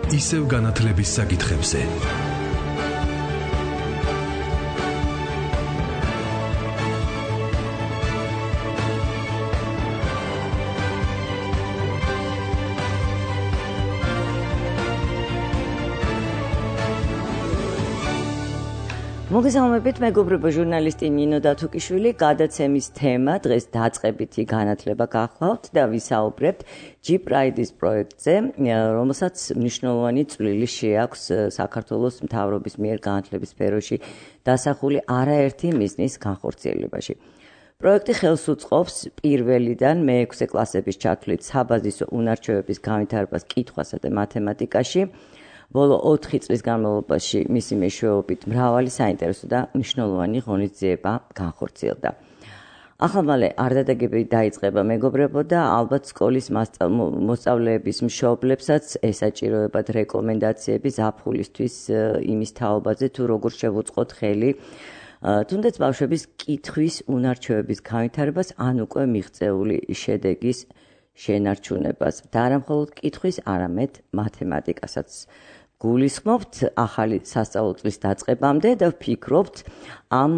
ისევ განათლების საკითხებზე. მოგესალმებით, მეგობრებო, ჟურნალისტი ნინო დათუკიშვილი, გადაცემის თემა დღეს დაწყებითი განათლება გახლავთ და ვისაუბრებთ G-Pride-ის პროექტზე, რომელსაც მნიშვნელოვანი წვლილი შეაქვს საქართველოს მთავრობის მიერ განათლების სფეროში დასახული არაერთი მიზნის განხორციელებაში. პროექტი ხელს უწყობს პირველიდან მე-6 კლასების ჩათვლით საბაზისო უნარჩვევების განვითარებას კითხვასა და მათემატიკაში. ბოლო 4 წლის განმავლობაში მისი მეშვეობით მრავალი საინტერესო და მნიშვნელოვანი ღონისძიება განხორციელდა. ახალმალე არდადეგები დაიწყება, მეგობრებო, და ალბათ სკოლის მოსწავლეების მშობლებსაც ესაჭიროებათ რეკომენდაციები ზაფხულისთვის იმის თაობაზე, თუ როგორ შევუწყოთ ხელი თუნდაც ბავშვების კითხვის უნარჩვევების განვითარებას ან უკვე მიღწეული შედეგის შენარჩუნებას და არა მხოლოდ კითხვის, არამედ მათემატიკასაც. გულისხმობთ ახალი სასწავლო წლის დაწყებამდე და ვფიქრობთ ამ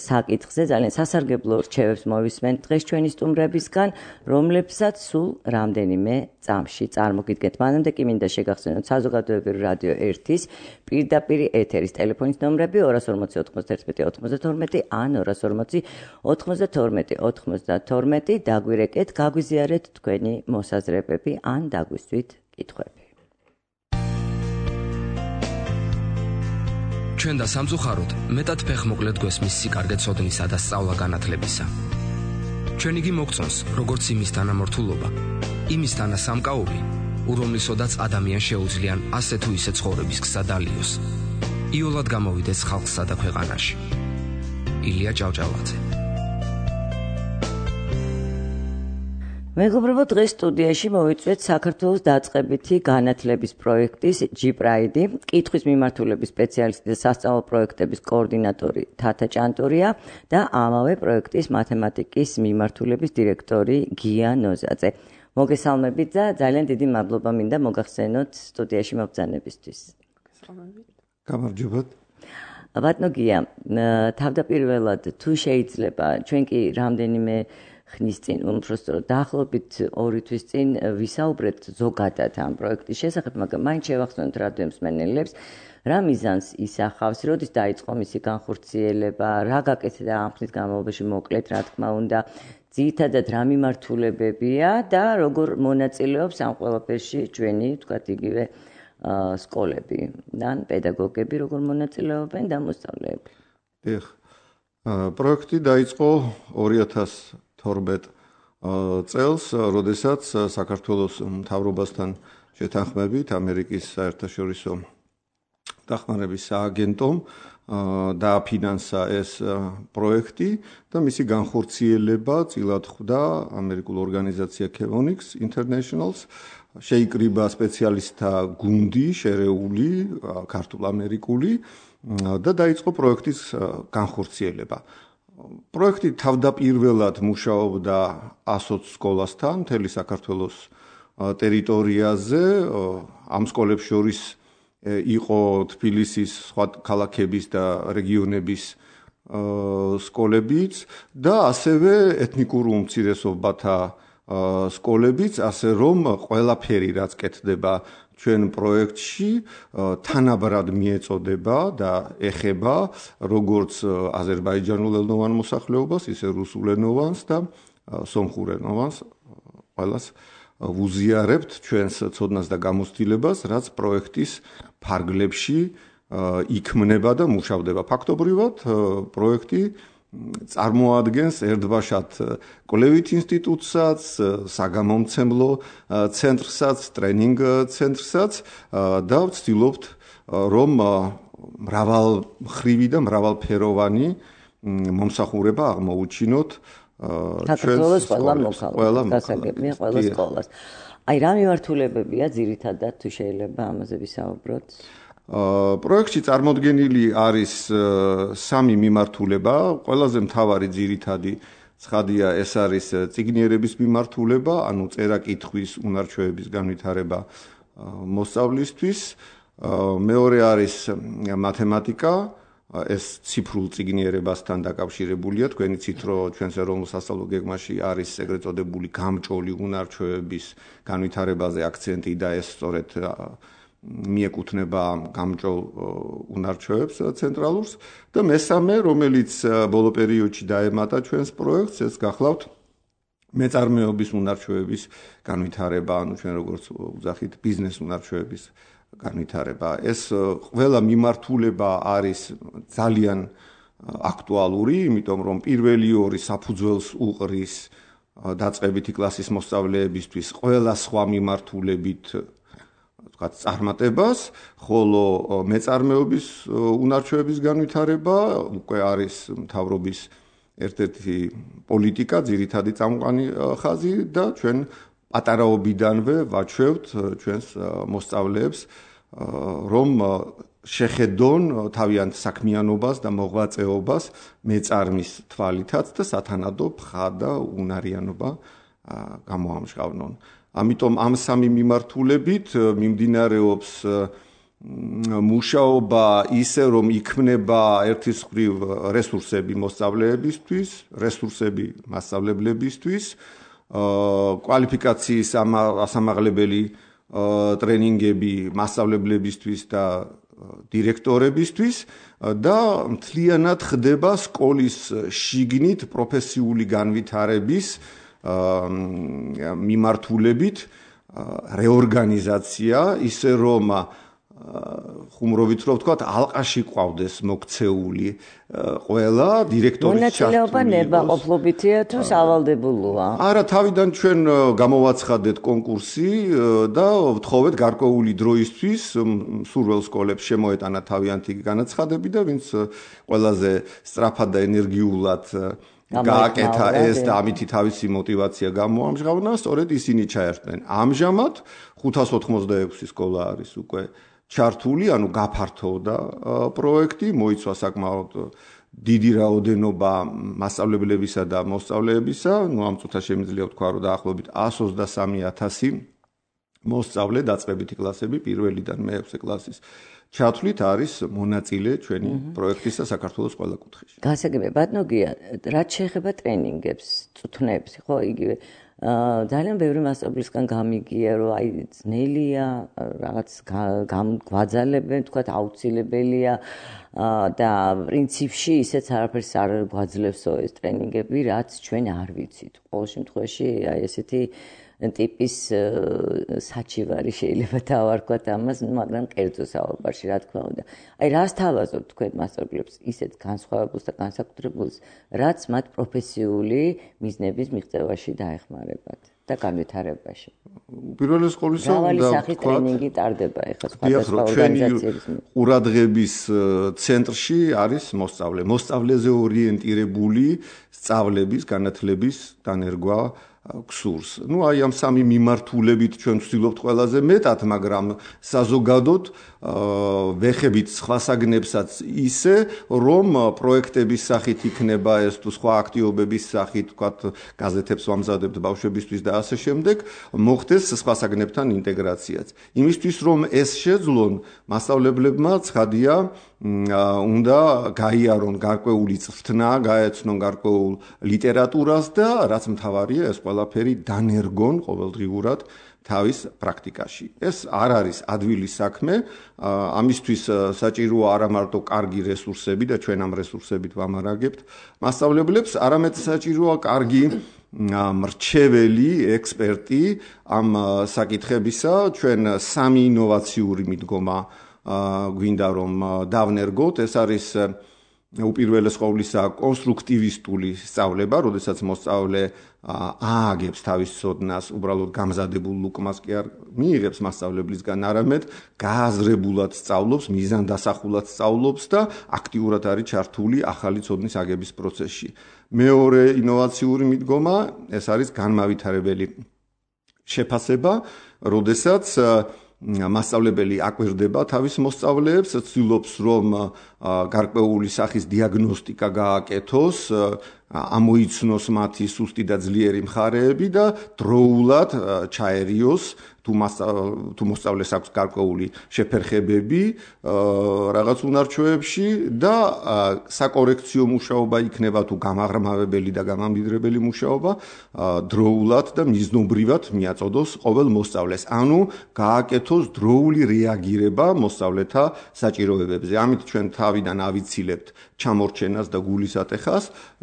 საკითხზე ძალიან სასარგებლო რჩევებს მოვისმენთ დღეს ჩვენი სტუმრებისგან, რომლებსაც სულ რამდენიმე წამში წარმოგიდგენთ. მანამდე კი მინდა შეგახსენოთ საზოგადოებრივი რადიო 1-ის პირდაპირ ეთერის ტელეფონის ნომრები 240 91 92 ან 240 92 92. დაგვირეკეთ, გაგვიზიარეთ თქვენი მოსაზრებები ან დაგვისვით კითხვები. ჩვენ და სამწუხაროდ მეტად ფეხმოკლედ გვესმის სიკარგე ცოდნისა და სწავლა განათლებისა. ჩვენ იგი მოგწონს, როგორც იმის თანამორთულობა, იმის თანასამკაობი, ურომლისოდაც ადამიანს შეუძლიან ასე თუ ისე ცხოვრების გზა დალიოს. იოლად გამოვიდეს ხალხსა და ქვეყანაში. ილია ჭავჭავაძე. მეგობრებო, დღეს სტუდიაში მოვიწვიეთ საქართველოს დაწყებითი განათლების პროექტის G-Pride, კითხვის მიმართულების სპეციალისტი და სასწავლო პროექტების კოორდინატორი თათა ჭანტურია და ამავე პროექტის მათემატიკის მიმართულების დირექტორი გია ნოზაძე. მოგესალმებით და ძალიან დიდი მადლობა მინდა მოგახსენოთ სტუდიაში მობრძანებისთვის. გამარჯობათ. ბატონო გია, თავდაპირველად თუ შეიძლება, ჩვენ კი რამდენიმე ხნის წინ, უბრალოდ დაახლოებით 2 თვის წინ ვისაუბრეთ ზოგადად ამ პროექტის შესახებ, მაგრამ მაინც შევახსენოთ რადიო მსმენელებს, რა მიზანს ისახავს, როდის დაიწყო მისი განხორციელება, რა გაკეთდა ამ ხნის განმავლობაში, მოკლედ, რა თქმა უნდა, ძირითადად რა მიმართულებებია და როგორ მონაწილეობს ამ ყველაფერში ჩვენი, ვთქვათ, იგივე სკოლები და პედაგოგები, როგორ მონაწილეობენ და მოსწავლეები. პროექტი დაიწყო 2012 წელს, როდესაც საქართველოს მთავრობასთან შეთანხმებით ამერიკის საერთაშორისო დახმარების სააგენტომ დააფინანსა ეს პროექტი და მისი განხორციელება წილად ხვდა ამერიკულ ორგანიზაცია Chevronix Internationals. შეიკრიბა სპეციალისტთა გუნდი, შერეული, ქართულ-ამერიკული და დაიწყო პროექტის განხორციელება. პროექტი თავდაპირველად მუშაობდა 120 სკოლასთან მთელი საქართველოს ტერიტორიაზე. ამ სკოლებს შორის იყო თბილისის, სხვა ქალაქების და რეგიონების სკოლებიც და ასევე ეთნიკურ უმცირესობათა სკოლებიც, ასე რომ ყველაფერი რაც კეთდება ჩვენ პროექტში თანაბრად მიეწოდება და ეხება როგორც აზერბაიჯანულენოვან მოსახლეობას, ისე რუსულენოვანს და სომხურენოვანს. ყველას ვუზიარებთ ჩვენს ცოდნას და გამოცდილებას, რაც პროექტის ფარგლებში იქმნება და მუშავდება. ფაქტობრივად პროექტი წარმოადგენს ერთბაშად კვლევით ინსტიტუტსაც, საგამომცემლო ცენტრსაც, ტრენინგ ცენტრსაც და ვცდილობთ, რომ მრავალმხრივი და მრავალფეროვანი მომსახურება აღმოუჩინოთ საქართველოს ყველა სკოლას. აი, რა მიმართულებებია ძირითადად, თუ შეიძლება ამაზე ვისაუბროთ? პროექტში წარმოდგენილი არის 3 მიმართულება. ყველაზე მთავარი ძირითადი ცხადია, ეს არის წიგნიერების მიმართულება, ანუ წერა-კითხვის უნარჩვევების განვითარება მოსწავლისთვის. მეორე არის მათემატიკა, ეს ციფრულ წიგნიერებასთან დაკავშირებულია. თქვენ იცით, რომ ჩვენს ეროვნულ სასწავლო გეგმაში არის ეგრეთ წოდებული გამჭოლი უნარჩვევების განვითარებაზე აქცენტი და ეს სწორედ მიეკუთვნება გამჭოლ უნარჩვევებს ცენტრალურს და მესამე, რომელიც ბოლო პერიოდში დაემატა ჩვენს პროექტს, ეს გახლავთ მეწარმეობის უნარჩვევების განვითარება, ანუ ჩვენ როგორც ვძახით ბიზნეს უნარჩვევების განვითარება. ეს ყველა მიმართულება არის ძალიან აქტუალური, იმიტომ რომ პირველი ორი საფუძველს უყრის დაწყებითი კლასის მოსწავლეებისთვის ყველა სხვა მიმართულებით ვთქვათ წარმატებას, ხოლო მეწარმეობის უნარჩვევების განვითარება უკვე არის მთავრობის ერთ-ერთი პოლიტიკა, ძირითადი წამყვანი ხაზი და ჩვენ პატარაობიდანვე ვაჩვევთ ჩვენს მოსწავლეებს, რომ შეხედონ თავიანთ საქმიანობას და მოღვაწეობას მეწარმის თვალითაც და სათანადო ფხა და უნარიანობა გამოამჟღავნონ. ამიტომ ამ სამი მიმართულებით მიმდინარეობს მუშაობა ისე, რომ იქმნება ერთის მხრივ რესურსები მოსწავლეებისთვის, რესურსები მასწავლებლებისთვის, კვალიფიკაციის ასამაღლებელი ტრენინგები მასწავლებლებისთვის და დირექტორებისთვის და მთლიანად ხდება სკოლის შიგნით პროფესიული განვითარების მიმართულებით რეორგანიზაცია, ისე რომ ხუმრობით რომ ვთქვათ, ალყაში ყავდეს მოქცეული ყველა დირექტორის ჩართული. მონაწილეობა ნებაყოფლობითია თუ სავალდებულოა? არა, თავიდან ჩვენ გამოვაცხადეთ კონკურსი და ვთხოვეთ გარკვეული დროისთვის მსურველ სკოლებს შემოეტანა თავიანთი განაცხადები და ვინც ყველაზე სწრაფად და ენერგიულად გააკეთა ეს და ამითი თავისი мотиваცია გამოამჟღავნა, სწორედ ისინი ჩაერთნენ. ამჟამად 586 სკოლა არის უკვე ჩართული, ანუ გაფართოვდა პროექტი, მოიცვა საკმაოდ დიდი რაოდენობა მასწავლებლებისა და მოსწავლეებისა, ამ წუთას შემიძლია ვთქვა, რომ დაახლოებით 123,000 მოსწავლე დაწყებითი კლასები პირველიდან მე-6 კლასის ჩათვლით არის მონაწილე ჩვენი პროექტის და საქართველოს ყველა კუთხეში. გასაგებია, ბატონო გია, რაც შეეხება ტრენინგებს, წუთნებს, ხო, იგივე ძალიან ბევრი მასწავლებლისგან გამიგია, რომ აი ძნელია, რაღაც გვაძალებენ, თქვათ აუცილებელია და პრინციპში ისეც არაფერს არ გვაძლევსო ეს ტრენინგები, რაც ჩვენ არ ვიცით. ყოველ შემთხვევაში აი ესეთი ტიპის საჩივარი შეიძლება დავარქვათ ამას, მაგრამ კერძო საუბარში, რა თქმა უნდა. აი რას თავაზობთ თქვენ მასწავლებლებს ისეთ განსხვავებულს და განსაკუთრებულს, რაც მათ პროფესიული მიზნების მიღწევაში დაეხმარებათ და განვითარებაში. პირველი სკოლისა მრავალი სახის ტრენინგი ტარდება ეხლა სხვადასხვა ორგანიზაციების. ყურადღების ცენტრში არის მოსწავლე. მოსწავლეზე ორიენტირებული სწავლების, განათლების დანერგვა ქსურს. აი ამ სამი მიმართულებით ჩვენ ვცდილობთ ყველაზე მეტად, მაგრამ საზოგადოდ ვეხებით სხვა საგნებსაც ისე, რომ პროექტების სახით იქნება ეს თუ სხვა აქტივობების სახით, ვთქვათ, გაზეთებს ვამზადებთ ბავშვებისთვის და ასე შემდეგ, მოხდეს სხვა საგნებთან ინტეგრაციაც. იმისთვის, რომ ეს შეძლონ, მასწავლებლებმა ცხადია უნდა გაიარონ გარკვეული წვრთნა, გაეცნონ გარკვეულ ლიტერატურას და რაც მთავარია, ეს ყველაფერი დანერგონ ყოველდღიურად თავის პრაქტიკაში. ეს არ არის ადვილი საქმე, ამისთვის საჭიროა არა მარტო კარგი რესურსები და ჩვენ ამ რესურსებით ვამარაგებთ მასწავლებლებს, არამედ საჭიროა კარგი მრჩეველი, ექსპერტი ამ საკითხებისა. ჩვენ სამი ინოვაციური მიდგომა გვინდა რომ დავნერგოთ, ეს არის უპირველეს ყოვლისა კონსტრუქტივისტული სწავლება, როდესაც მოსწავლე ააგებს თავის ცოდნას, უბრალოდ გამზადებულ ლუკმას კი არ მიიღებს მასწავლებლისგან, არამედ გააზრებულად სწავლობს, მიზანდასახულად სწავლობს და აქტიურად არის ჩართული ახალი ცოდნის აგების პროცესში. მეორე ინოვაციური მიდგომა, ეს არის განმავითარებელი შეფასება, როდესაც მასწავლებელი აკვირდება თავის მოსწავლეებს, ცდილობს რომ გარკვეული სახის დიაგნოსტიკა გააკეთოს, ამოიცნოს მათი სუსტი და ძლიერი მხარეები და დროულად ჩაერიოს თუ მოსწავლეს აქვს გარკვეული შეფერხებები რაღაც უნარჩვევებში და საკორექციო მუშაობა იქნება თუ გამაღრმავებელი და გამამდიდრებელი მუშაობა დროულად და მიზნობრივად მიაწოდოს ყოველ მოსწავლეს. ანუ გააკეთოს დროული რეაგირება მოსწავლეთა საჭიროებებზე. ამით ჩვენ თავიდან ავიცილებთ ჩამორჩენას და გულის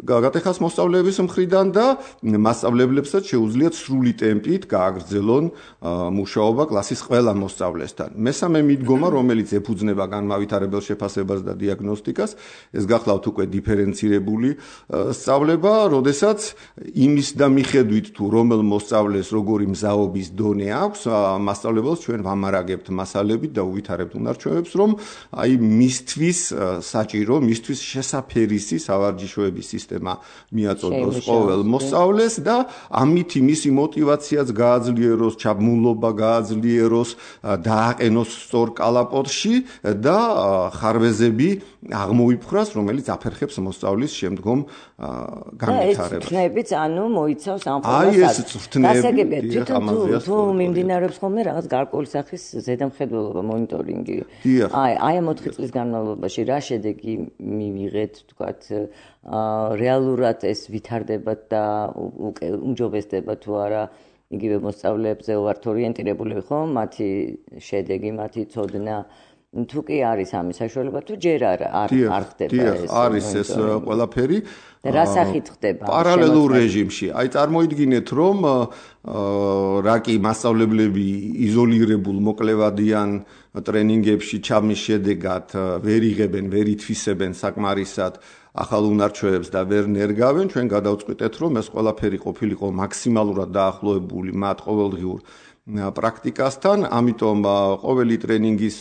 გატეხას მოსწავლეების მხრიდან და მასწავლებლებსაც შეუძლიათ სრული ტემპით გააგრძელონ მუშაობა კლასის ყველა მოსწავლესთან. მესამე მიდგომა, რომელიც ეფუძნება განმავითარებელ შეფასებას და დიაგნოსტიკას, ეს გახლავთ უკვე დიფერენცირებული სწავლება, როდესაც იმის და მიხედვით თუ რომელ მოსწავლეს როგორი მზაობის დონე აქვს, მასწავლებელს ჩვენ ვამარაგებთ მასალებით და უვითარებთ უნარჩვევებს, რომ აი მისთვის საჭირო, მისთვის შესაფერისი სავარჯიშოების სისტემა მიაწოდოს ყოველ მოსწავლეს და ამით მისი мотиваციაც გააძლიეროს, ჩაბმულობა გააძლიეროს, დააყენოს სწორ კალაპოტში და ხარვეზები აღმოიფხრას, რომელიც აფერხებს მოსწავლის შემდგომ განვითარებას. ეს წვნებიც ანუ მოიცავს ამ ფორმას. თუ მიმდინარეობს ხოლმე რაღაც გარკვეული სახის ზედამხედველობა, მონიტორინგი. აი ამ 4 წლის განმავლობაში რა შედეგი მივიღეთ, თქვათ, რეალურად ეს ვითარდება და უმჯობესდება თუ არა იგივე მოსწავლეებზე ვართ ორიენტირებული ხო? მათი შედეგი, მათი ცოდნა თუ კი არის ამის საშუალება თუ ჯერ არ ხდება ეს. არის ეს ყველაფერი. რა სახით ხდება? პარალელურ რეჟიმში. აი წარმოიდგინეთ, რომ რაკი მასწავლებლები იზოლირებულ მოკლევადიან ტრენინგებში ჩაბმის შედეგად ვერ იღებენ, ვერ ითვისებენ საკმარისად ახალ უნარჩვევებს და ვერ ნერგავენ, ჩვენ გადავწყვიტეთ, რომ ეს ყველაფერი ყოფილიყო მაქსიმალურად დაახლოებული მათ ყოველდღიურ პრაქტიკასთან, ამიტომ ყოველი ტრენინგის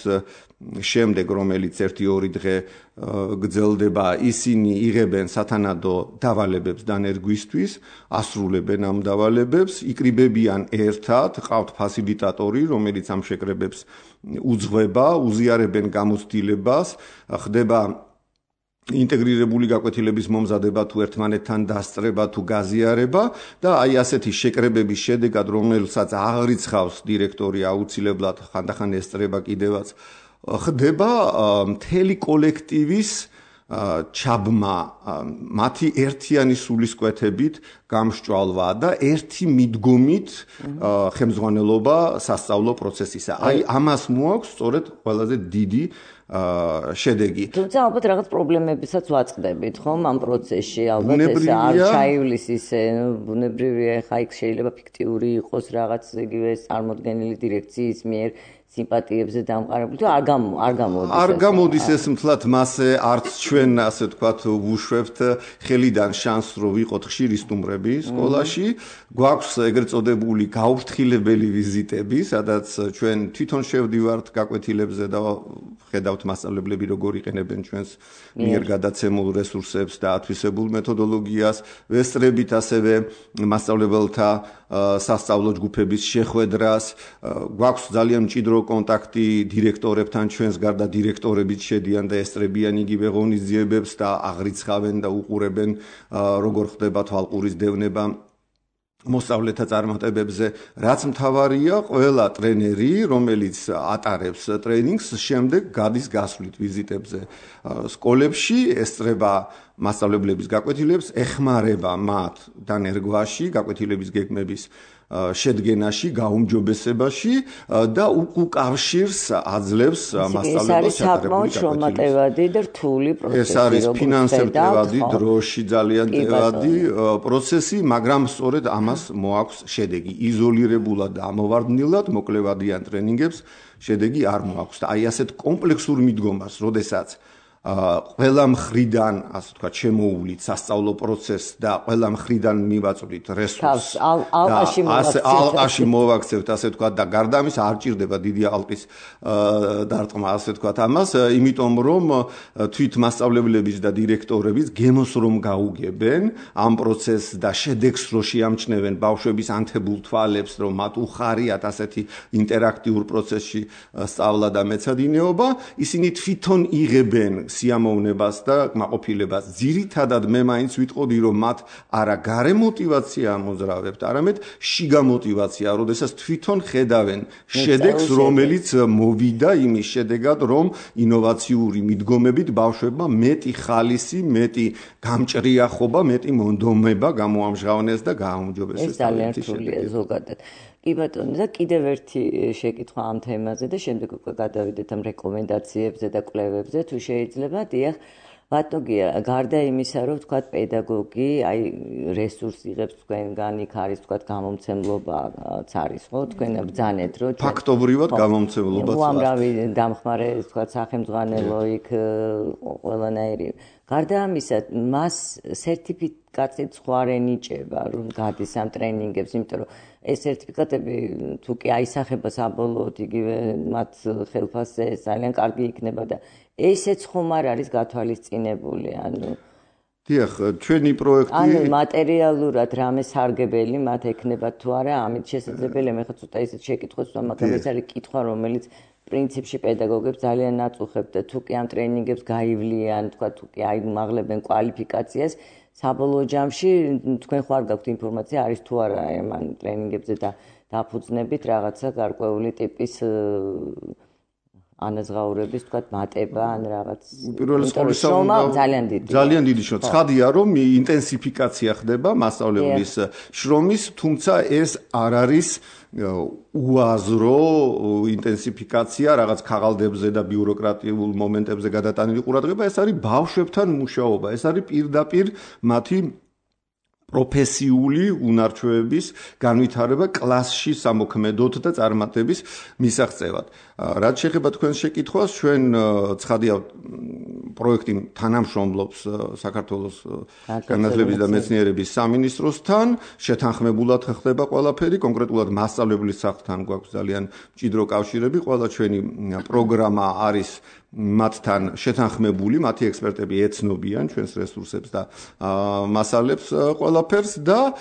შემდეგ, რომელიც 1-2 დღე გრძელდება, ისინი იღებენ სათანადო დავალებებს დანერგვისთვის, ასრულებენ ამ დავალებებს, იკრიბებიან ერთად, ყავთ ფასილიტატორი, რომელიც ამ შეკრებებს უძღვება, უზიარებენ გამოცდილებას, ხდება ინტეგრირებული გაკვეთილების მომზადება თუ ერთმანეთთან დასწრება თუ გაზიარება და აი ასეთი შეკრებების შედეგად, რომელსაც აღრიცხავს დირექტორი აუცილებლად ხანდახან ესწრება კიდევაც, ხდება მთელი კოლექტივის ჩაბმა, მათი ერთიანი სულისკვეთებით გამსჭვალვა და ერთი მიდგომით ხელმძღვანელობა სასწავლო პროცესისა. აი ამას მოაქვს სწორედ ყველაზე დიდი შედეგი. თუმცა ალბათ რაღაც პრობლემებისაც ვაწყდებით, ხომ, ამ პროცესში, ალბათ ეს არ ჩაივლის ისე, ბუნებრივია, ხა იქ შეიძლება ფიქტიური იყოს რაღაც იგივე წარმოდგენილი დირექციის მიერ სიმპათიებზე დამყარებული თუ არ გამოდის. არ გამოდის ეს მთლად მასე, არც ჩვენ ასე ვთქვათ ვუშვებთ ხელიდან შანსს, რომ ვიყოთ ხშირი სტუმრები სკოლაში. გვაქვს ეგრეთ წოდებული გაუფრთხილებელი ვიზიტები, სადაც ჩვენ თვითონ შევდივართ გაკვეთილებზე და ხედავთ მასწავლებლები როგორ იყენებენ ჩვენს მიერ გადაცემულ რესურსებს და ათვისებულ მეთოდოლოგიას, ვესწრებით ასევე მასწავლებელთა სასწავლო ჯგუფების შეხვედრას, გვაქვს ძალიან მჭიდრო კონტაქტი დირექტორებთან, ჩვენს გარდა დირექტორებიც შედიან და ესწრებიან იგივე ღონისძიებებს და აღრიცხავენ და უყურებენ როგორ ხდება თვალყურის დევნება მოსწავლეთა წარმატებებზე. რაც მთავარია, ყველა ტრენერი, რომელიც ატარებს ტრენინგს, შემდეგ გადის გასვლით ვიზიტებზე სკოლებში, ესწრება მასწავლებლების გაკვეთილებს, ეხმარება მათ დანერგვაში, გაკვეთილების გეგმების შედგენაში, გაუმჯობესებაში და უკავშირს აძლევს მასწავლებელს ჩატარებული შრომატევადი და რთული პროცესი. ეს არის ფინანსებრივი, დროში ძალიან ტევადი პროცესი, მაგრამ სწორედ ამას მოაქვს შედეგი. იზოლირებულად და ამოვარდნილად მოკლევადიან ტრენინგებს შედეგი არ მოაქვს. და აი ასეთ კომპლექსურ მიდგომას, როდესაც ყველა მხრიდან, ასე ვთქვათ, შემოუვლით სასწავლო პროცესს და ყველა მხრიდან მივაწვდით რესურსს. ალყაში მოვაქცევთ, ასე ვთქვათ, და გარდა ამისა არ ჭირდება დიდი ალყის დარტყმა, ასე ვთქვათ, ამას, იმიტომ რომ თვით მასწავლებლების და დირექტორების გემოს რომ გაუგებენ ამ პროცესს და შედეგს რო შეამჩნევენ ბავშვების ანთებულ თვალებს, რომ მათ უხარიათ ასეთი ინტერაქტიულ პროცესში სწავლა და მეცადინეობა, ისინი თვითონ იღებენ სიამოვნებას და კმაყოფილებას. ძირითადად მე მაინც ვიტყოდი, რომ მათ არა გარე мотиваცია ამოძრავებთ, არამედ შიგა мотиваცია, როდესაც თვითონ ხედავენ შედეგს, რომელიც მოვიდა იმის შედეგად, რომ ინოვაციური მიდგომებით ბავშვებმა მეტი ხალისი, მეტი გამჭრიახობა, მეტი მონდომება გამოამჟღავნეს და გააუმჯობესეს. ეს ძალიან რთულია ზოგადად. კი ბატონო, და კიდევ ერთი შეკითხვა ამ თემაზე და შემდეგ უკვე გადავიდეთ ამ რეკომენდაციებზე და კვლევებზე, თუ შეიძლება. დიახ, ბატონო, გარდა იმისა, რომ თქვა პედაგოგი, აი რესურსი იღებს თქვენგან, იქ არის თქვა გამომცემლობაც არის, ხო? თქვენ ბრძანეთ, რომ ფაქტობრივად გამომცემლობაც არის. უამრავი დამხმარე თქვა სახელმძღვანელო იქ ყველანაირი. გარდა ამისა, მას სერტიფიკატით სხვა არ ენიჭება, რომ გადის ამ ტრენინგებს, იმიტომ რომ ეს სერტიფიკატები თუ კი აისახება საბოლოოდ იგივე მათ ხელფასზე ძალიან კარგი იქნება და ესეც ხომ არ არის გათვალისწინებული, ანუ დიახ, ჩვენი პროექტი ანუ მატერიალურად რამე სარგებელი მათ ექნებათ თუ არა, ამით შესაძლებელია მე ხა ცოტა ისეთ შეკითხვას ვთქვა, მაგრამ ეს არის კითხვა, რომელიც პრინციპში პედაგოგებს ძალიან აწუხებთ და თუ კი ამ ტრენინგებს გაივლიან, თქვა თუ კი აიმაღლებენ კვალიფიკაციას, საბოლოო ჯამში თქვენ ხარ გაქვთ ინფორმაცია არის თუ არა ამ ტრენინგებზე და დაფუძნებით რაღაცა გარკვეული ტიპის ანაზღაურების თქვა მატება ან რაღაც პირველ რიგში ძალიან დიდი შრომა. ცხადია, რომ ინტენსიფიკაცია ხდება მასწავლებლის შრომის, თუმცა ეს არ არის უაზრო ინტენსიფიკაცია რაღაც ქაღალდებზე და ბიუროკრატიულ მომენტებზე გადატანილი ყურადღება, ეს არის ბავშვებთან მუშაობა, ეს არის პირდაპირ მათი პროფესიული უნარჩვევების განვითარება კლასში სამოქმედოდ და წარმატების მისაღწევად. რაც შეეხება თქვენს შეკითხვას, ჩვენ ცხადია პროექტი თანამშრომლობს საქართველოს განათლების და მეცნიერების სამინისტროსთან, შეთანხმებულად ხდება ყველაფერი, კონკრეტულად მასწავლებლის სახლთან გვაქვს ძალიან მჭიდრო კავშირები, ყველა ჩვენი პროგრამა არის მათთან შეთანხმებული, მათი ექსპერტები ეცნობიან ჩვენს რესურსებს და მასალებს ყველაფერს და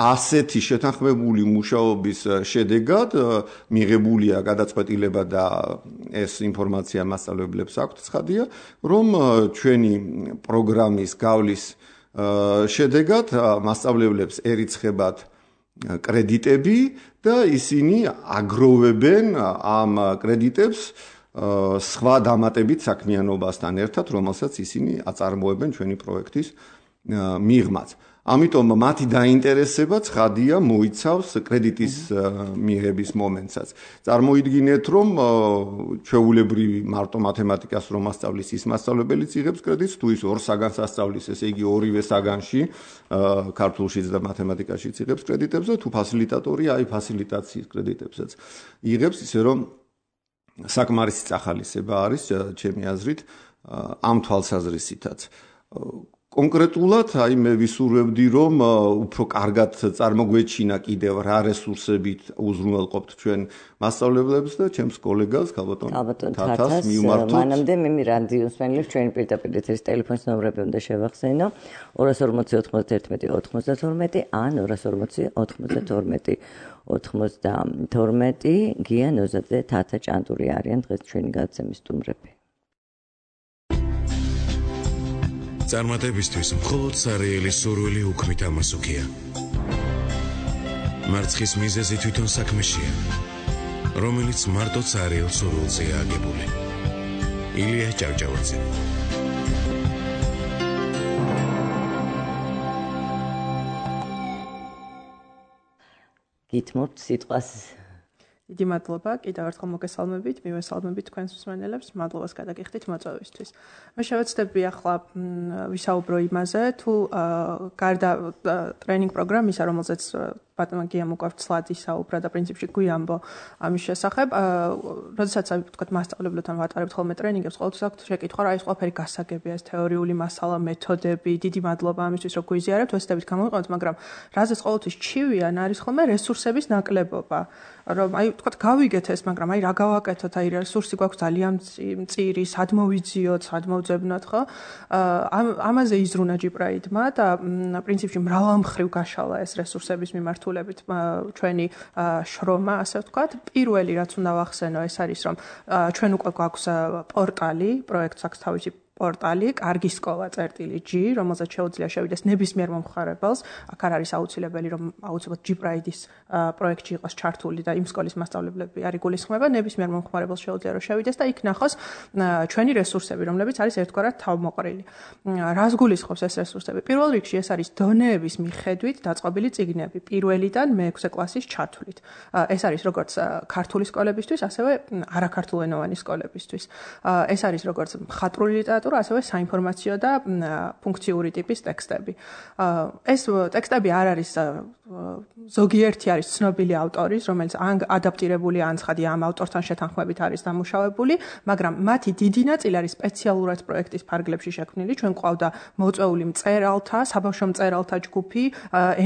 ასეთი შეთანხმებული მუშაობის შედეგად მიღებულია გადაწყვეტილება და ეს ინფორმაცია მასწავლებლებს აქვთ ცხადია, რომ ჩვენი პროგრამის გავლის შედეგად მასწავლებლებს ერიცხებათ კრედიტები და ისინი აგროვებენ ამ კრედიტებს სხვა დამატებით საქმიანობასთან ერთად, რომელსაც ისინი აწარმოებენ ჩვენი პროექტის მიღმაც. ამიტომ მათი დაინტერესება ცხადია მოიცავს კრედიტის მიღების მომენტსაც. წარმოიდგინეთ, რომ ჩვეულებრივი მარტო მათემატიკას რომ ასწავლის ის მასწავლებელიც იღებს კრედიტს, თუ ის ორ საგანს ასწავლის, ესე იგი ორივე საგანში, ქართულშიც და მათემატიკაშიც იღებს კრედიტებს და თუ ფასილიტატორია, აი ფასილიტაციის კრედიტებსაც იღებს, ისე რომ საკმარისი წახალისება არის ჩემი აზრით ამ თვალსაზრისითაც. კონკრეტულად აი მე ვისურვებდი რომ უფრო კარგად წარმოგვეჩინა კიდევ რა რესურსებით უზრუნველყოფთ ჩვენ მასწავლებლებს და ჩემს კოლეგას ქალბატონ თათას მივმართოთ. მანამდე მე რადიოსმენელებს ჩვენი პირდაპირ ეთერის ტელეფონის ნომრები უნდა შევახსენო 240 91 92 ან 240 92 92 გია ნოზაძე თათა ჭანტური არიან დღეს ჩვენი გადაცემის სტუმრები. წარმატებისთვის მხოლოდ სარეელი სურვილი უქმით ამასუქია. მარცხის მიზეზი თვითონ საქმეშია, რომელიც მარტო სარეელ სურვილზეა აგებული. ილია ჭავჭავაძე. გითმობთ სიტყვას. დიდი მადლობა, კიდევ ერთხელ მოგესალმებით, მივესალმებით თქვენს მსმენელებს, მადლობას გადაგიხდით მოწვევისთვის. მე შევეცდები ახლა ვისაუბრო იმაზე, თუ გარდა ტრენინგ პროგრამისა, რომელზეც ბატონმა გიამ უკვე ცლად ისაუბრა და პრინციპში გვიამბო ამის შესახებ, როდესაც ვთქვათ მასწავლებლებთან ვატარებთ ხოლმე ტრენინგებს, ყოველთვის აქვთ შეკითხვა, რა ის ყველაფერი გასაგებია, ეს თეორიული მასალა, მეთოდები, დიდი მადლობა ამისთვის, რომ გვიზიარებთ, ვესწრებით გამოვიყენოთ, მაგრამ რაზეც ყოველთვის ჩივიან არის ხოლმე რესურსების ნაკლებობა. რომ აი ვთქვათ გავიგეთ ეს, მაგრამ აი რა გავაკეთოთ, აი რესურსი გვაქვს ძალიან მწირი, სად მოვიძიოთ, სად მოვძებნოთ, ხო? ამაზე იზრუნა ჯიბრაიდმა და პრინციპში მრავალმხრივ გაშალა ეს რესურსების მიმართულებით ჩვენი შრომა, ასე ვთქვათ. პირველი რაც უნდა ვახსენო, ეს არის რომ ჩვენ უკვე გვაქვს პორტალი, პროექტს აქვს თავისი პორტალი კარგი სკოლა წერტილი.g, რომელზეც შეუძლია შევიდეს ნებისმიერ მომხმარებელს. აქ არ არის აუცილებელი, რომ აუცილებლად G-Pride-ის პროექტში იყოს ჩართული და იმ სკოლის მასწავლებლები არ იგულისხმება. ნებისმიერ მომხმარებელს შეუძლია რომ შევიდეს და იქ ნახოს ჩვენი რესურსები, რომლებიც არის ერთგვარად თავმოყრილი. რას გულისხმობს ეს რესურსები? პირველ რიგში ეს არის დონეების მიხედვით დაწყობილი წიგნები, პირველიდან მე-6 კლასის ჩათვლით. ეს არის როგორც ქართული სკოლებისთვის, ასევე არაქართულენოვანი სკოლებისთვის. ეს არის როგორც მხატვრული ლიტერატურა, ასევე საინფორმაციო და ფუნქციური ტიპის ტექსტები. ეს ტექსტები არ არის ზოგიერთი არის ცნობილი ავტორის, რომელიც ან ადაპტირებული ან ცხადი ამ ავტორთან შეთანხმებით არის დამუშავებული, მაგრამ მათი დიდი ნაწილი არის სპეციალურად პროექტის ფარგლებში შექმნილი. ჩვენ ყავდა მოწვეული მწერალთა, საბავშვო მწერალთა ჯგუფი,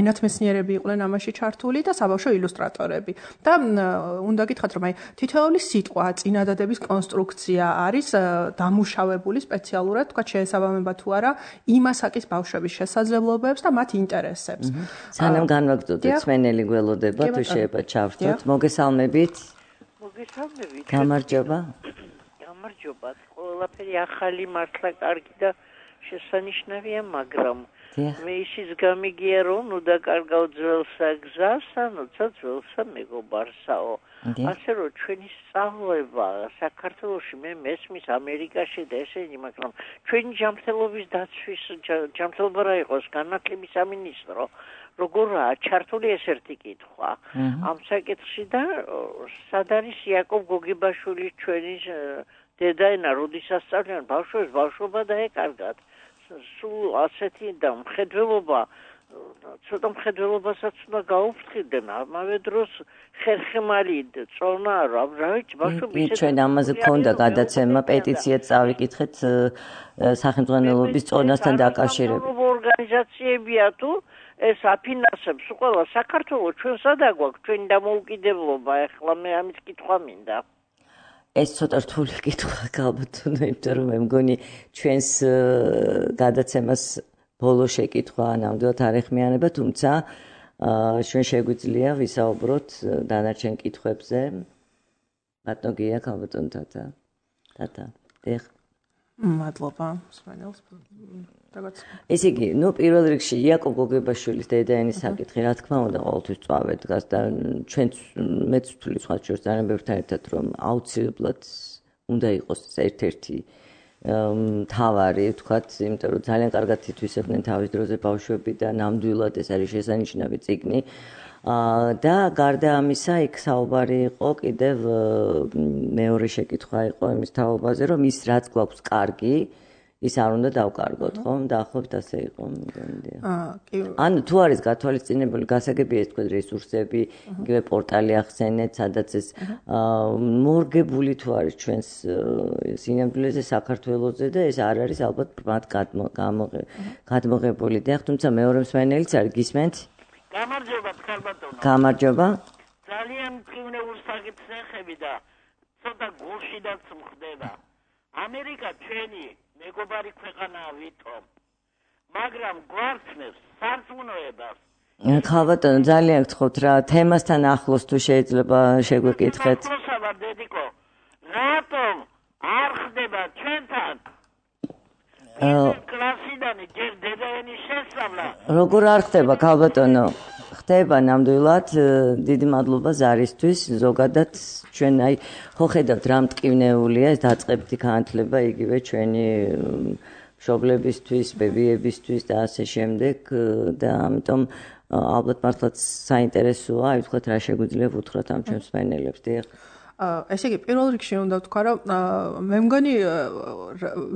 ენათმეცნიერები იყვნენ ამაში ჩართული და საბავშვო ილუსტრატორები. და უნდა გითხრათ, რომ აი თითოეული სიტყვა, წინადადების კონსტრუქცია არის დამუშავებული სპეციალურად, თქვა შეესაბამება თუ არა იმ ასაკის ბავშვების შესაძლებლობებს და მათ ინტერესებს. სანამ განვაგრძობთ, სვენელი გველოდება, თუ შეიძლება ჩავრთოთ. მოგესალმებით. მოგესალმებით. გამარჯობა. გამარჯობა. ყველაფერი ახალი მართლა კარგი და შესანიშნავია, მაგრამ მე ისიც გამიგია, რომ ნუ დაკარგავ ძველსა გზას, ანუცა ძველსა მეგობარსაო. ასე რომ ჩვენი სწავლება საქართველოში მე მესმის ამერიკაში და ესენი, მაგრამ ჩვენი ჯანმრთელობის დაცვის ჯანმრთელობა რა იყოს განათლების სამინისტრო, როგორაა ჩართული ეს ერთი კითხვა ამ საკითხში და სად არის იაკობ გოგებაშვილის ჩვენი დედაენა, როდესაც სწავლიან ბავშვებს ბავშვობა დაეკარგათ. სულ ასეთი და მხედველობა, ცოტა მხედველობასაც უნდა გაუფრთხილდნენ, ამავე დროს ხერხემალი წონა რა ვიცი ბავშვები ჩვენ ამაზე გქონდა გადაცემა, პეტიციაც წავიკითხეთ სახელმწიფოების წონასთან დაკავშირებით. ორგანიზაციებია თუ ეს აფინანსებს ყველა საქართველოს ჩვენ სადა გვაქვს ჩვენი დამოუკიდებლობა, ეხლა მე ამის კითხვა მინდა. ეს ცოტა რთული კითხვა ალბათ, იმიტომ რომ მე მგონი ჩვენს გადაცემას ბოლო შეკითხვა ნამდვილად არ ეხმიანება, თუმცა ჩვენ შეგვიძლია ვისაუბროთ დანარჩენ კითხვებზე. ბატონო გია ქალბატონ თათა. მადლობა სვენელს. ესე იგი, პირველ რიგში იაკობ გოგებაშვილის დედაენის საკითხი, რა თქმა უნდა, ყოველთვის წვავე დგას და ჩვენც მეც ვთვლი სხვა შორის ძალიან ბევრთან ერთად, რომ აუცილებლად უნდა იყოს ერთ-ერთი მთავარი, ვთქვათ, იმიტომ რომ ძალიან კარგად ითვისებდნენ თავის დროზე ბავშვები და ნამდვილად ეს არის შესანიშნავი წიგნი. და გარდა ამისა, იქ საუბარი იყო კიდევ მეორე შეკითხვა იყო იმის თაობაზე, რომ ის რაც გვაქვს კარგი, ის არ უნდა დავკარგოთ, ხო? დაახლოებით ასე იყო, მგონი. ანუ თუ არის გათვალისწინებული გასაგებია ეს თქვენ რესურსები, იგივე პორტალი ახსენეთ, სადაც ეს მორგებული თუ არის ჩვენს სინამდვილეზე საქართველოზე და ეს არ არის ალბათ მათ გადმოღებული. და თუმცა მეორე მსმენელიც არის, გისმენთ? გამარჯობა, ქალბატონო. გამარჯობა. ძალიან მკვლევრ საკითხს ეხები და ცოტა გულშიდაც მხდება. ამერიკა ჩვენი მეგობარი ქვეყანაა ვითომ, მაგრამ გვარცნებს სარწმუნოებას. ქალბატონო, ძალიან გთხოვთ რა, თემასთან ახლოს თუ შეიძლება შეგვეკითხეთ. დედიკო, რატომ არ ხდება ჩვენთან კლასიდანი ჯერ დედაენის შესწავლა? როგორ არ ხდება, ქალბატონო? ხდება ნამდვილად, დიდი მადლობა ზარისთვის, ზოგადად ჩვენ აი ხო ხედავთ რა მტკივნეულია ეს დაწყებითი განათლება იგივე ჩვენი მშობლებისთვის, ბებიებისთვის და ასე შემდეგ და ამიტომ ალბათ მართლაც საინტერესოა, აი ვთქვათ რა შეგვიძლია ვუთხრათ ამ ჩვენს მსმენელებს. დიახ. ესე იგი, პირველ რიგში უნდა ვთქვა, რომ მე მგონი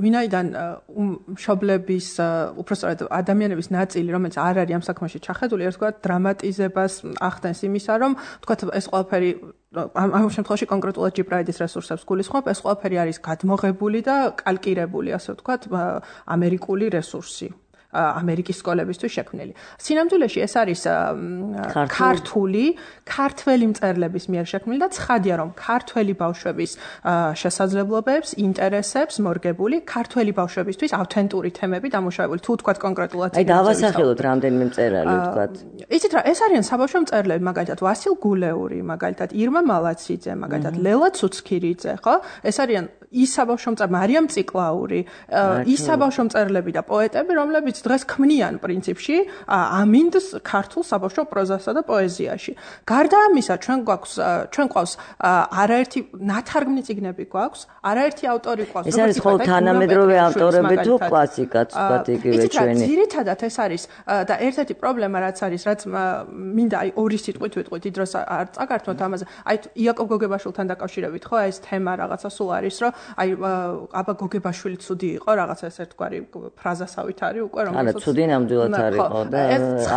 ვინაიდან მშობლების, უпростоრად ადამიანების ნაწილი, რომელიც არ არის ამ საქმეში ჩახედული, ერთგვარად დრამატიზებას ახდენს იმისა, რომ ვთქვათ, ეს ყველაფერი ამ შემთხვევაში კონკრეტულად G-Pride-ის რესურსებს გულისხმობ, ეს ყველაფერი არის გადმოღებული და კალკირებული, ასე ვთქვათ, ამერიკული რესურსი. ამერიკის სკოლებისთვის შექმნილი. სინამდვილეში ეს არის ქართველი მწერლების მიერ შექმნილი და ცხადია, რომ ქართველი ბავშვების შესაძლებლობებს, ინტერესებს მორგებული, ქართველი ბავშვებისთვის ავთენტური თემები დამუშავებული. თუ ვთქვათ კონკრეტულად აი დავასახელოთ რამდენიმე მწერალი, ვთქვათ. იცით რა, ეს არიან საბავშვო მწერლები, მაგალითად ვასილ გულეური, მაგალითად ირმა მალაციძე, მაგალითად ლელა ცუცქირიძე, ხო? ეს არიან ის საბავშვო მწერლები მარიამ ციკლაური, ის საბავშვო მწერლები და პოეტები, რომლებიც დღეს ქმნიან პრინციპში ამინდს ქართულ საბავშვო პროზასა და პოეზიაში. გარდა ამისა, ჩვენ გვყავს არაერთი ნათარგმნი წიგნები გვაქვს, არაერთი ავტორი გვყავს. ეს არის ხოლმე თანამედროვე ავტორები თუ კლასიკაც ვთქვათ იგივე ჩვენი. ძირითადად ეს არის და ერთ-ერთი პრობლემა რაც არის, რაც მინდა აი ორი სიტყვით ვიტყვით, დროს არ წაგართმოთ ამაზე. აი იაკობ გოგებაშვილთან დაკავშირებით ხო ეს თემა რაღაცა სულ არის, რომ აი აბა გოგებაშვილი ცუდი იყო, რაღაცა ეს ერთგვარი ფრაზასავით არის უკვე რომელსაც არა, ცუდი ნამდვილად არ იყო და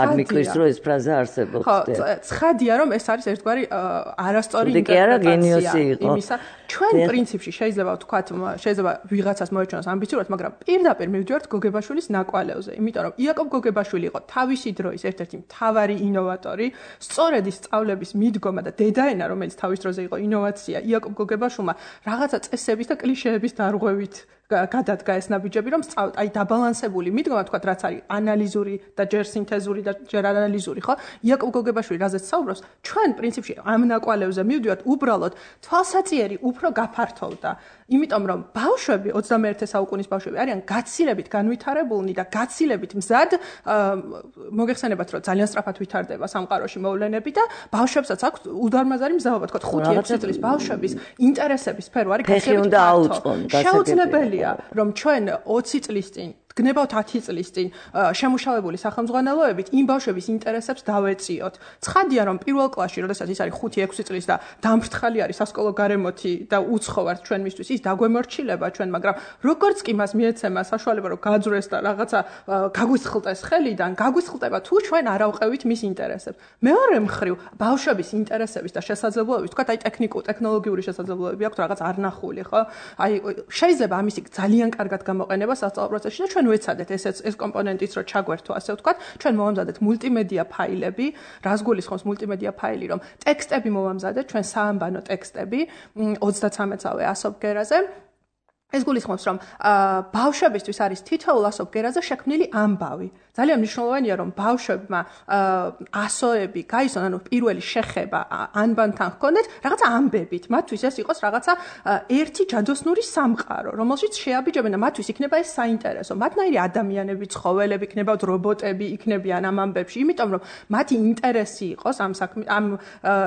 არ მიკვირს რომ ეს ფრაზა არსებობს. ხო, ცხადია რომ ეს არის ერთგვარი არასწორი ინტერპრეტაცია იმისა. ჩვენ პრინციპში შეიძლება ვთქვათ, შეიძლება ვიღაცას მოეჩვენოს ამბიციურად, მაგრამ პირდაპირ მივდივართ გოგებაშვილის ნაკვალევზე, იმიტომ რომ იაკობ გოგებაშვილი იყო თავისი დროის ერთ-ერთი მთავარი ინოვატორი, სწორედ ის სწავლების მიდგომა და დედაენა, რომელიც თავის დროზე იყო ინოვაცია, იაკობ გოგებაშვილმა რაღაცა წესების და კლიშეების დარღვევით გადადგა ეს ნაბიჯები, რომ აი დაბალანსებული მიდგომა, თქვათ, რაც არის ანალიზური და ჯერ სინთეზური და ჯერ ანალიზური, ხო? იაკობ გოგებაშვილი რაზეც საუბრობს, ჩვენ პრინციპში ამ ნაკვალევზე მივდივართ, უბრალოდ თვალსაწიერი უფრო გაფართოვდა. იმიტომ რომ ბავშვები 21 საუკუნის ბავშვები არიან გაცილებით განვითარებულნი და გაცილებით მზად მოგეხსენებათ რომ ძალიან სწრაფად ვითარდება სამყაროში მოვლენები და ბავშვებსაც აქვს უდარმაზარი მზაობა თქვა 5-6 წლის ბავშვების ინტერესების სფერო არის გასაგებია შეუძლებელია რომ ჩვენ 20 წლის წინ გნებავთ 10 წლის წინ შემუშავებული სახელმძღვანელოებით იმ ბავშვების ინტერესებს დავეწიოთ. ცხადია რომ პირველ კლასში, როდესაც ის არის 5-6 წლის და დამფრთხალი არის სასკოლო გარემოთი და უცხოვართ ჩვენ მისთვის, ის დაგვემორჩილება ჩვენ, მაგრამ როგორც კი მას მიეცემა საშუალება რომ გაძვრეს და რაღაცა გაგვისხლტეს ხელიდან, გაგვისხლტება თუ ჩვენ არ ავყევით მის ინტერესებს. მეორე მხრივ, ბავშვების ინტერესების და შესაძლებლობების, თქვა აი ტექნოლოგიური შესაძლებლობები აქვს რაღაც არნახული, ხო? აი შეიძლება ამისი ძალიან კარგად გამოყენება სასწავლო პროცესში და ჩვენ ვეცადეთ ეს კომპონენტიც რომ ჩაგვერთო ასე ვთქვათ, ჩვენ მოვამზადეთ მულტიმედია ფაილები, რას გულისხმობს მულტიმედია ფაილი, რომ ტექსტები მოვამზადეთ, ჩვენ საამბანო ტექსტები 33-ე ასობგერაზე. ეს გულისხმობს რომ ბავშვებისთვის არის თითოეულ ასობგერაზე შექმნილი ამბავი. ძალიან მნიშვნელოვანია რომ ბავშვებმა ასოები გაიცნონ, ანუ პირველი შეხება ანბანთან ჰქონდეთ რაღაცა ამბებით. მათთვის ეს იყოს რაღაცა ერთი ჯადოსნური სამყარო, რომელშიც შეაბიჯებენ და მათთვის იქნება ეს საინტერესო. მათნაირი ადამიანები, ცხოველები, იქნებათ რობოტები, იქნებიან ამ ამბებში, იმიტომ რომ მათი ინტერესი იყოს ამ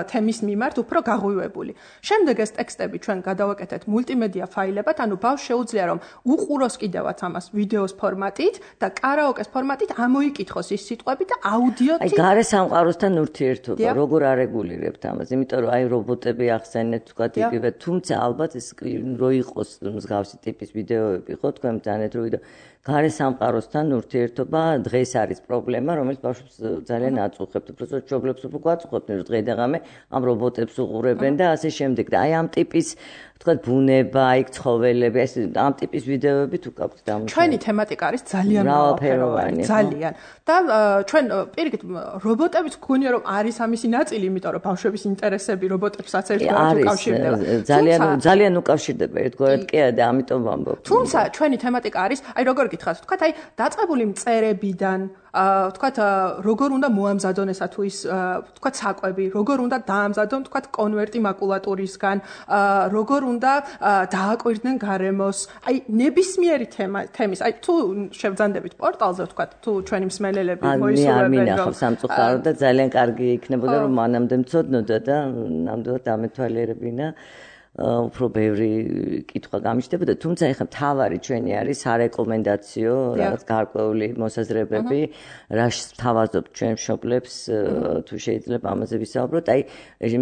თემის მიმართ უფრო გაღვივებული. შემდეგ ეს ტექსტები ჩვენ გადავაკეთეთ მულტიმედია ფაილებად, ანუ შეუძლია რომ უყუროს კიდევაც ამას ვიდეოს ფორმატით და კარაოკეს ფორმატით ამოიკითხოს ის სიტყვები და აუდიოთი. აი გარე სამყაროსთან ურთიერთობა როგორ არეგულირებთ ამას? იმიტომ რომ აი რობოტები ახსენეთ თქვა იგივე, თუმცა ალბათ ეს რო იყოს მსგავსი ტიპის ვიდეოები ხო თქვენ ძალიან ვიდეო გარე სამყაროსთან ურთიერთობა დღეს არის პრობლემა, რომელიც ბავშვებს ძალიან აწუხებთ. უბრალოდ მშობლებს უფრო გვაწუხებთ, რომ დღე და ღამე ამ რობოტებს უყურებენ და ასე შემდეგ. და აი ამ ტიპის თქვა ბუნება, აი ცხოველები, ეს ამ ტიპის ვიდეოები თუ გაქვთ დამუშავებული. ჩვენი თემატიკა არის ძალიან მრავალფეროვანი, ძალიან. და ჩვენ პირიქით რობოტებიც გქონია რომ არის ამისი ნაწილი, იმიტომ რომ ბავშვების ინტერესები რობოტებსაც ერთგვარად უკავშირდება. ძალიან უკავშირდება ერთგვარად კი და ამიტომ ვამბობ. თუმცა ჩვენი თემატიკა არის, აი როგორ გითხრათ, თქვა აი დაწყებული მწერებიდან თქვა როგორ უნდა მოამზადონ ესა თუ ის თქვა საკვები, როგორ უნდა დაამზადონ თქვა კონვერტი მაკულატურისგან, როგორ უნდა დააკვირდნენ გარემოს, აი ნებისმიერი თემის, აი თუ შევძანდებით პორტალზე თქვა თუ ჩვენი მსმენელები მოისურვებენ რომ მინახავ სამწუხაროდ და ძალიან კარგი იქნებოდა რომ მანამდე მწოდნოდა და ნამდვილად ამეთვალიერებინა უფრო ბევრი კითხვა გამიჩნდებოდა, თუმცა ეხლა მთავარი ჩვენი არის სარეკომენდაციო რაღაც გარკვეული მოსაზრებები, რას თავაზობთ ჩვენ მშობლებს თუ შეიძლება ამაზე ვისაუბროთ, აი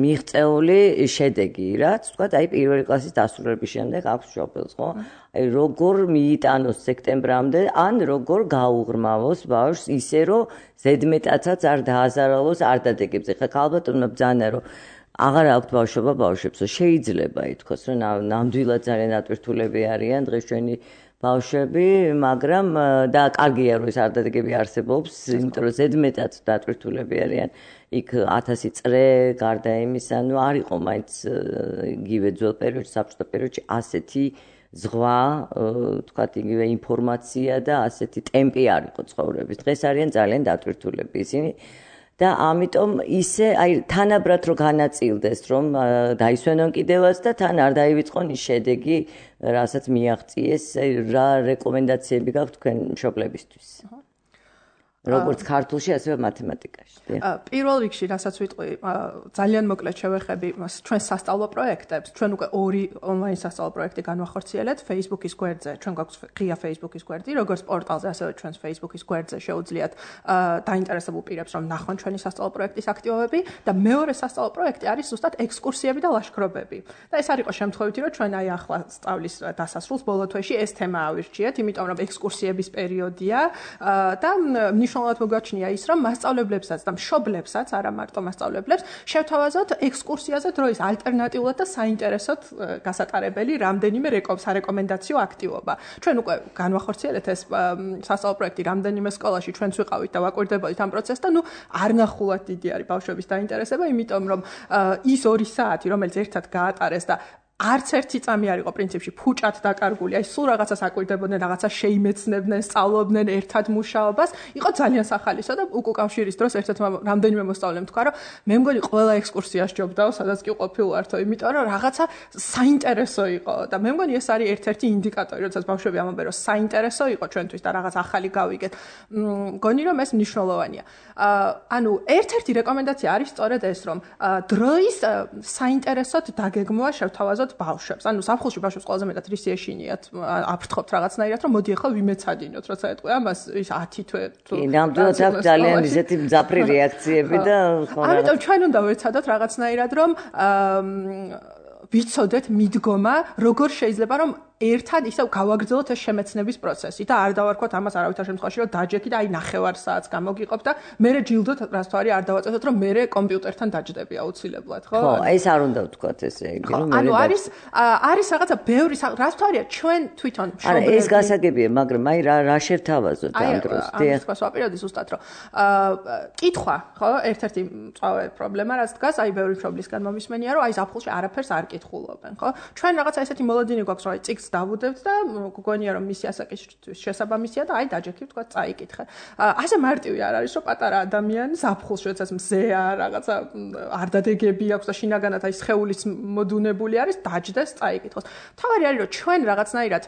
მიღწეული შედეგი, რაც თქვა აი პირველი კლასის დასრულების შემდეგ აქვს მშობელს, ხო? აი როგორ მიიტანოს სექტემბრამდე, ან როგორ გაუღრმავოს ბავშვს ისე რომ ზედმეტაცაც არ დააზარალოს არ დადეგებს. ეხლა ალბათ უნდა ბძანა რომ აღარ აქვთ ბავშვობა ბავშვებს, შეიძლება ითქვას, რომ ნამდვილად ძალიან ატვირთულები არიან დღეს ჩვენი ბავშვები, მაგრამ და კარგია რომ ეს არდადეგები არსებობს, იმიტომ რომ ზედმეტად დატვირთულები არიან. იქ 1000 წრე გარდა იმისა, ну არ იყო მაინც იგივე ძველ პერიოდში, საბჭოთა პერიოდში ასეთი ზღვა, თქვათ იგივე ინფორმაცია და ასეთი ტემპი არ იყო ცხოვრების. დღეს არიან ძალიან დატვირთულები ისინი. და ამიტომ ისე აი თანაბრად რო განაწილდეს რომ დაისვენონ კიდევაც და თან არ დაივიწყონ ის შედეგი რასაც მიაღწიეს რა რეკომენდაციები გაქვთ თქვენ მშობლებისთვის როგორც ქართულში ასევე მათემატიკაში პირველ რიგში რასაც ვიტყვი ძალიან მოკლედ შევეხები ჩვენ სასწავლო პროექტებს ჩვენ უკვე 2 ონლაინ სასწავლო პროექტი განვახორციელეთ Facebook-ის გვერდზე ჩვენ გვაქვს ღია Facebook-ის გვერდი როგორც პორტალზე ასევე ჩვენს Facebook-ის გვერდზე შეუძლიათ დაინტერესებულ პირებს რომ ნახონ ჩვენი სასწავლო პროექტის აქტივობები და მეორე სასწავლო პროექტი არის ზუსტად ექსკურსიები და ლაშქრობები და ეს არ იყო შემთხვევითი რომ ჩვენ აი ახლა სწავლის დასასრულს ბოლო თვეში ეს თემა ავირჩიეთ იმიტომ რომ ექსკურსიების პერიოდია და მნიშვნელოვნად მოგაჩნია ის რომ მასწავლებლებსაც და მშობლებსაც არა მარტო მასწავლებლებს შევთავაზოთ ექსკურსიაზე დროის ალტერნატიულად და საინტერესოდ გასატარებელი რამდენიმე სარეკომენდაციო აქტივობა. ჩვენ უკვე განვახორციელეთ ეს სასწავლო პროექტი რამდენიმე სკოლაში ჩვენც ვიყავით და ვაკვირდებოდით ამ პროცესს და არ ნახულად დიდი არის ბავშვების დაინტერესება, იმიტომ რომ ის 2 საათი რომელიც ერთად გაატარეს და არც ერთი წამი არ იყო პრინციპში ფუჭად დაკარგული, აი სულ რაღაცას აკვირდებოდნენ, რაღაცა შეიმეცნებდნენ, სწავლობდნენ ერთად მუშაობას, იყო ძალიან სახალისო და უკავშირის დროს ერთ-ერთმა რამდენიმე მოსწავლემ თქვა, რომ მე მგონი ყველა ექსკურსია სჯობდაო, სადაც კი ყოფილვართო, იმიტომ რომ რაღაცა საინტერესო იყო და მე მგონი ეს არის ერთ-ერთი ინდიკატორი, როდესაც ბავშვები ამბობენ, რომ საინტერესო იყო ჩვენთვის და რაღაც ახალი გავიგეთ. მგონი რომ ეს მნიშვნელოვანია. ანუ ერთ-ერთი რეკომენდაცია არის სწორედ ეს, რომ დროის საინტერესოდ დაგეგმვა შევთავაზოთ ბავშვებს. ანუ საფხულში ბავშვებს ყველაზე მეტად რის ეშინიათ აფრთხობთ რაღაცნაირად, რომ მოდი ახლა ვიმეცადინოთ, როცა ეტყვი ამას ის 10 თვე თუ ნამდვილად აქვს ძალიან ისეთი მძაფრი რეაქციები და ამიტომ ჩვენ უნდა ვეცადოთ რაღაცნაირად, რომ ვიცოდეთ მიდგომა, როგორ შეიძლება რომ ერთად ისევ გავაგრძელოთ ეს შემეცნების პროცესი და არ დავარქვათ ამას არავითარ შემთხვევაში რომ დაჯექი და აი 9 საათს გამოგიყოფ და მე ჯილდოთ რას თვარი არ დავაწესოთ რომ მე კომპიუტერთან დაჯდები აუცილებლად ხო? ხო, ეს არ უნდა ვთქვათ ესე იგი რომ მე ანუ არის რაღაცა ბევრი რას თვარია ჩვენ თვითონ მშობლები. არა ეს გასაგებია, მაგრამ აი რა შევთავაზოთ ამ დროს? აი ეს ვაპირებდი ზუსტად რომ კითხვა ხო ერთ-ერთი მწვავე პრობლემა რაც დგას აი ბევრი მშობლისგან მომისმენია რომ აი ზაფხულში არაფერს არ კითხულობენ ხო? ჩვენ რაღაცა ესეთი მოლოდინი გვაქვს რომ აი წიგნს დავუდებთ და გგონია რომ მისი ასაკისთვის შესაბამისია და აი დაჯექი თქვა წაიკითხე. ასე მარტივი არ არის რომ პატარა ადამიანი ზაფხულში როდესაც მზეა რაღაცა არ დადეგები აქვს და შინაგანად აი სხეულის მოდუნებული არის დაჯდეს წაიკითხოს. თავარი არის რომ ჩვენ რაღაცნაირად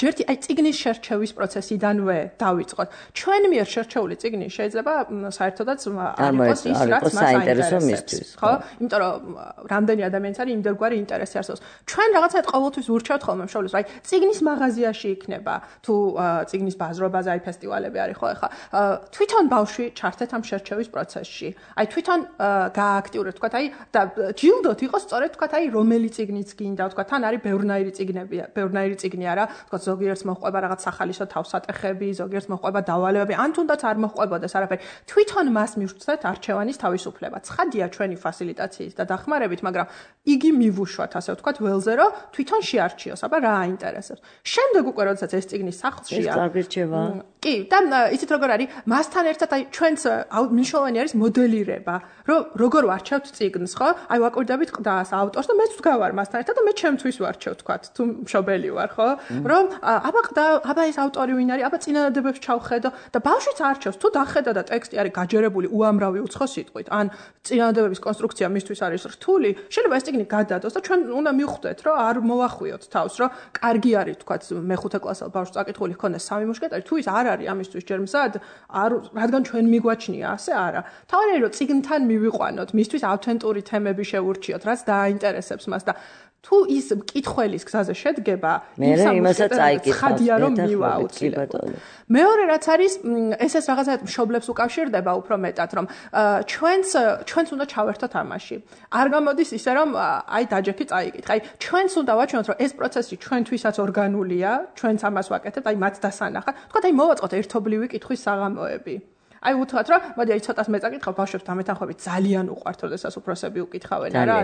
ჯერთი აი წიგნის შერჩევის პროცესიდანვე დავიწყოთ. ჩვენ მიერ შერჩეული წიგნი შეიძლება საერთოდაც არ იყოს ის რაც მას საინტერესებს. ხო? იმიტომ რომ რამდენი ადამიანს არის იმდროგვარი ინტერესი არსებობს. ჩვენ რაღაცა ყოველთვის ურჩევთ ხოლმე მშობლებს, აი წიგნის მაღაზიაში იქნება თუ წიგნის ბაზრობაზე აი ფესტივალები არის ხო ახლა. თვითონ ბავშვი ჩართეთ ამ შერჩევის პროცესში. აი თვითონ გააქტიურეთ, თქვათ აი და ჯილდოთ იყოს სწორედ თქვათ აი რომელი წიგნიც გინდა, თქვათ თან არის ბევრნაირი წიგნი არა, თქვათ ზოგიერთს მოჰყვება რაღაც სახალისო თავსატეხები, ზოგიერთს მოჰყვება დავალებები, ან თუნდაც არ მოჰყვებოდეს არაფერი. თვითონ მას მივხვდეთ არჩევანის თავისუფლება. ცხადია ჩვენი ფასილიტაციის და დახმარებით, მაგრამ იგი მივუშვათ ასე ვთქვათ ველზე, რომ თვითონ შეარჩიოს, აბა რა აინტერესებს. შემდეგ უკვე როდესაც ეს წიგნი სახლშია. ეს წარგირჩევა. კი, და იცით როგორ არის? მასთან ერთად აი ჩვენს მნიშვნელოვანი არის მოდელირება, რომ როგორ ვარჩევთ წიგნს, ხო? აი ვაკვირდებით ყდას ავტორს და მეც ვდგავარ მასთან ერთად და მე ჩემთვის ვარჩევ, თქვათ, თუ მშობელი ვარ, ხო? რომ აბა ყდა, აბა ეს ავტორი ვინ არის? აბა წინადადებებს ჩავხედო და ბავშვიც არჩევს, თუ დახედა და ტექსტი არის გაჯერებული უამრავი უცხო სიტყვით, ან წინადადებების კონსტრუქცია მისთვის არის რთული, შეიძლება ეს წიგნი გადადოს და ჩვენ უნდა მივხვდეთ, რომ არ მოვახვიოთ თავს, რომ კარგი არის, თქვათ, მე-5 კლასელ ბავშვს წაკითხული ჰქონდეს 3 მუშკეტარი, თუ ის არ არის ამისთვის ჯერ მზად, რადგან ჩვენ მიგვაჩნია, ასე არა. თავარი რომ წიგნთან მივიყვანოთ, მისთვის ავთენტური თემები შევურჩიოთ, რაც დააინტერესებს მას და თუ ის მკითხველის გზაზე შედგება, იმასაც წაიკითხავს. ხადია რომ მივა აუცილებლად. მეორე რაც არის, ეს რაღაცა მშობლებს უკავშირდება უფრო მეტად, რომ ჩვენც უნდა ჩავერთოთ ამაში. არ გამოდის ისე რომ აი დაჯექი წაიკითხე. აი ჩვენც უნდა ვაჩვენოთ, რომ ეს პროცესი ჩვენთვისაც ორგანულია, ჩვენც ამას ვაკეთებთ, აი მათ დასანახად. თქვათ აი მოვაწყოთ ერთობლივი კითხვის საღამოები. აი უთხრათ რომ მოდი აი ცოტას მე წაკითხავ ბავშვებს დამეთანხმებით ძალიან უყვართ როდესაც უფროსები უკითხავენ რა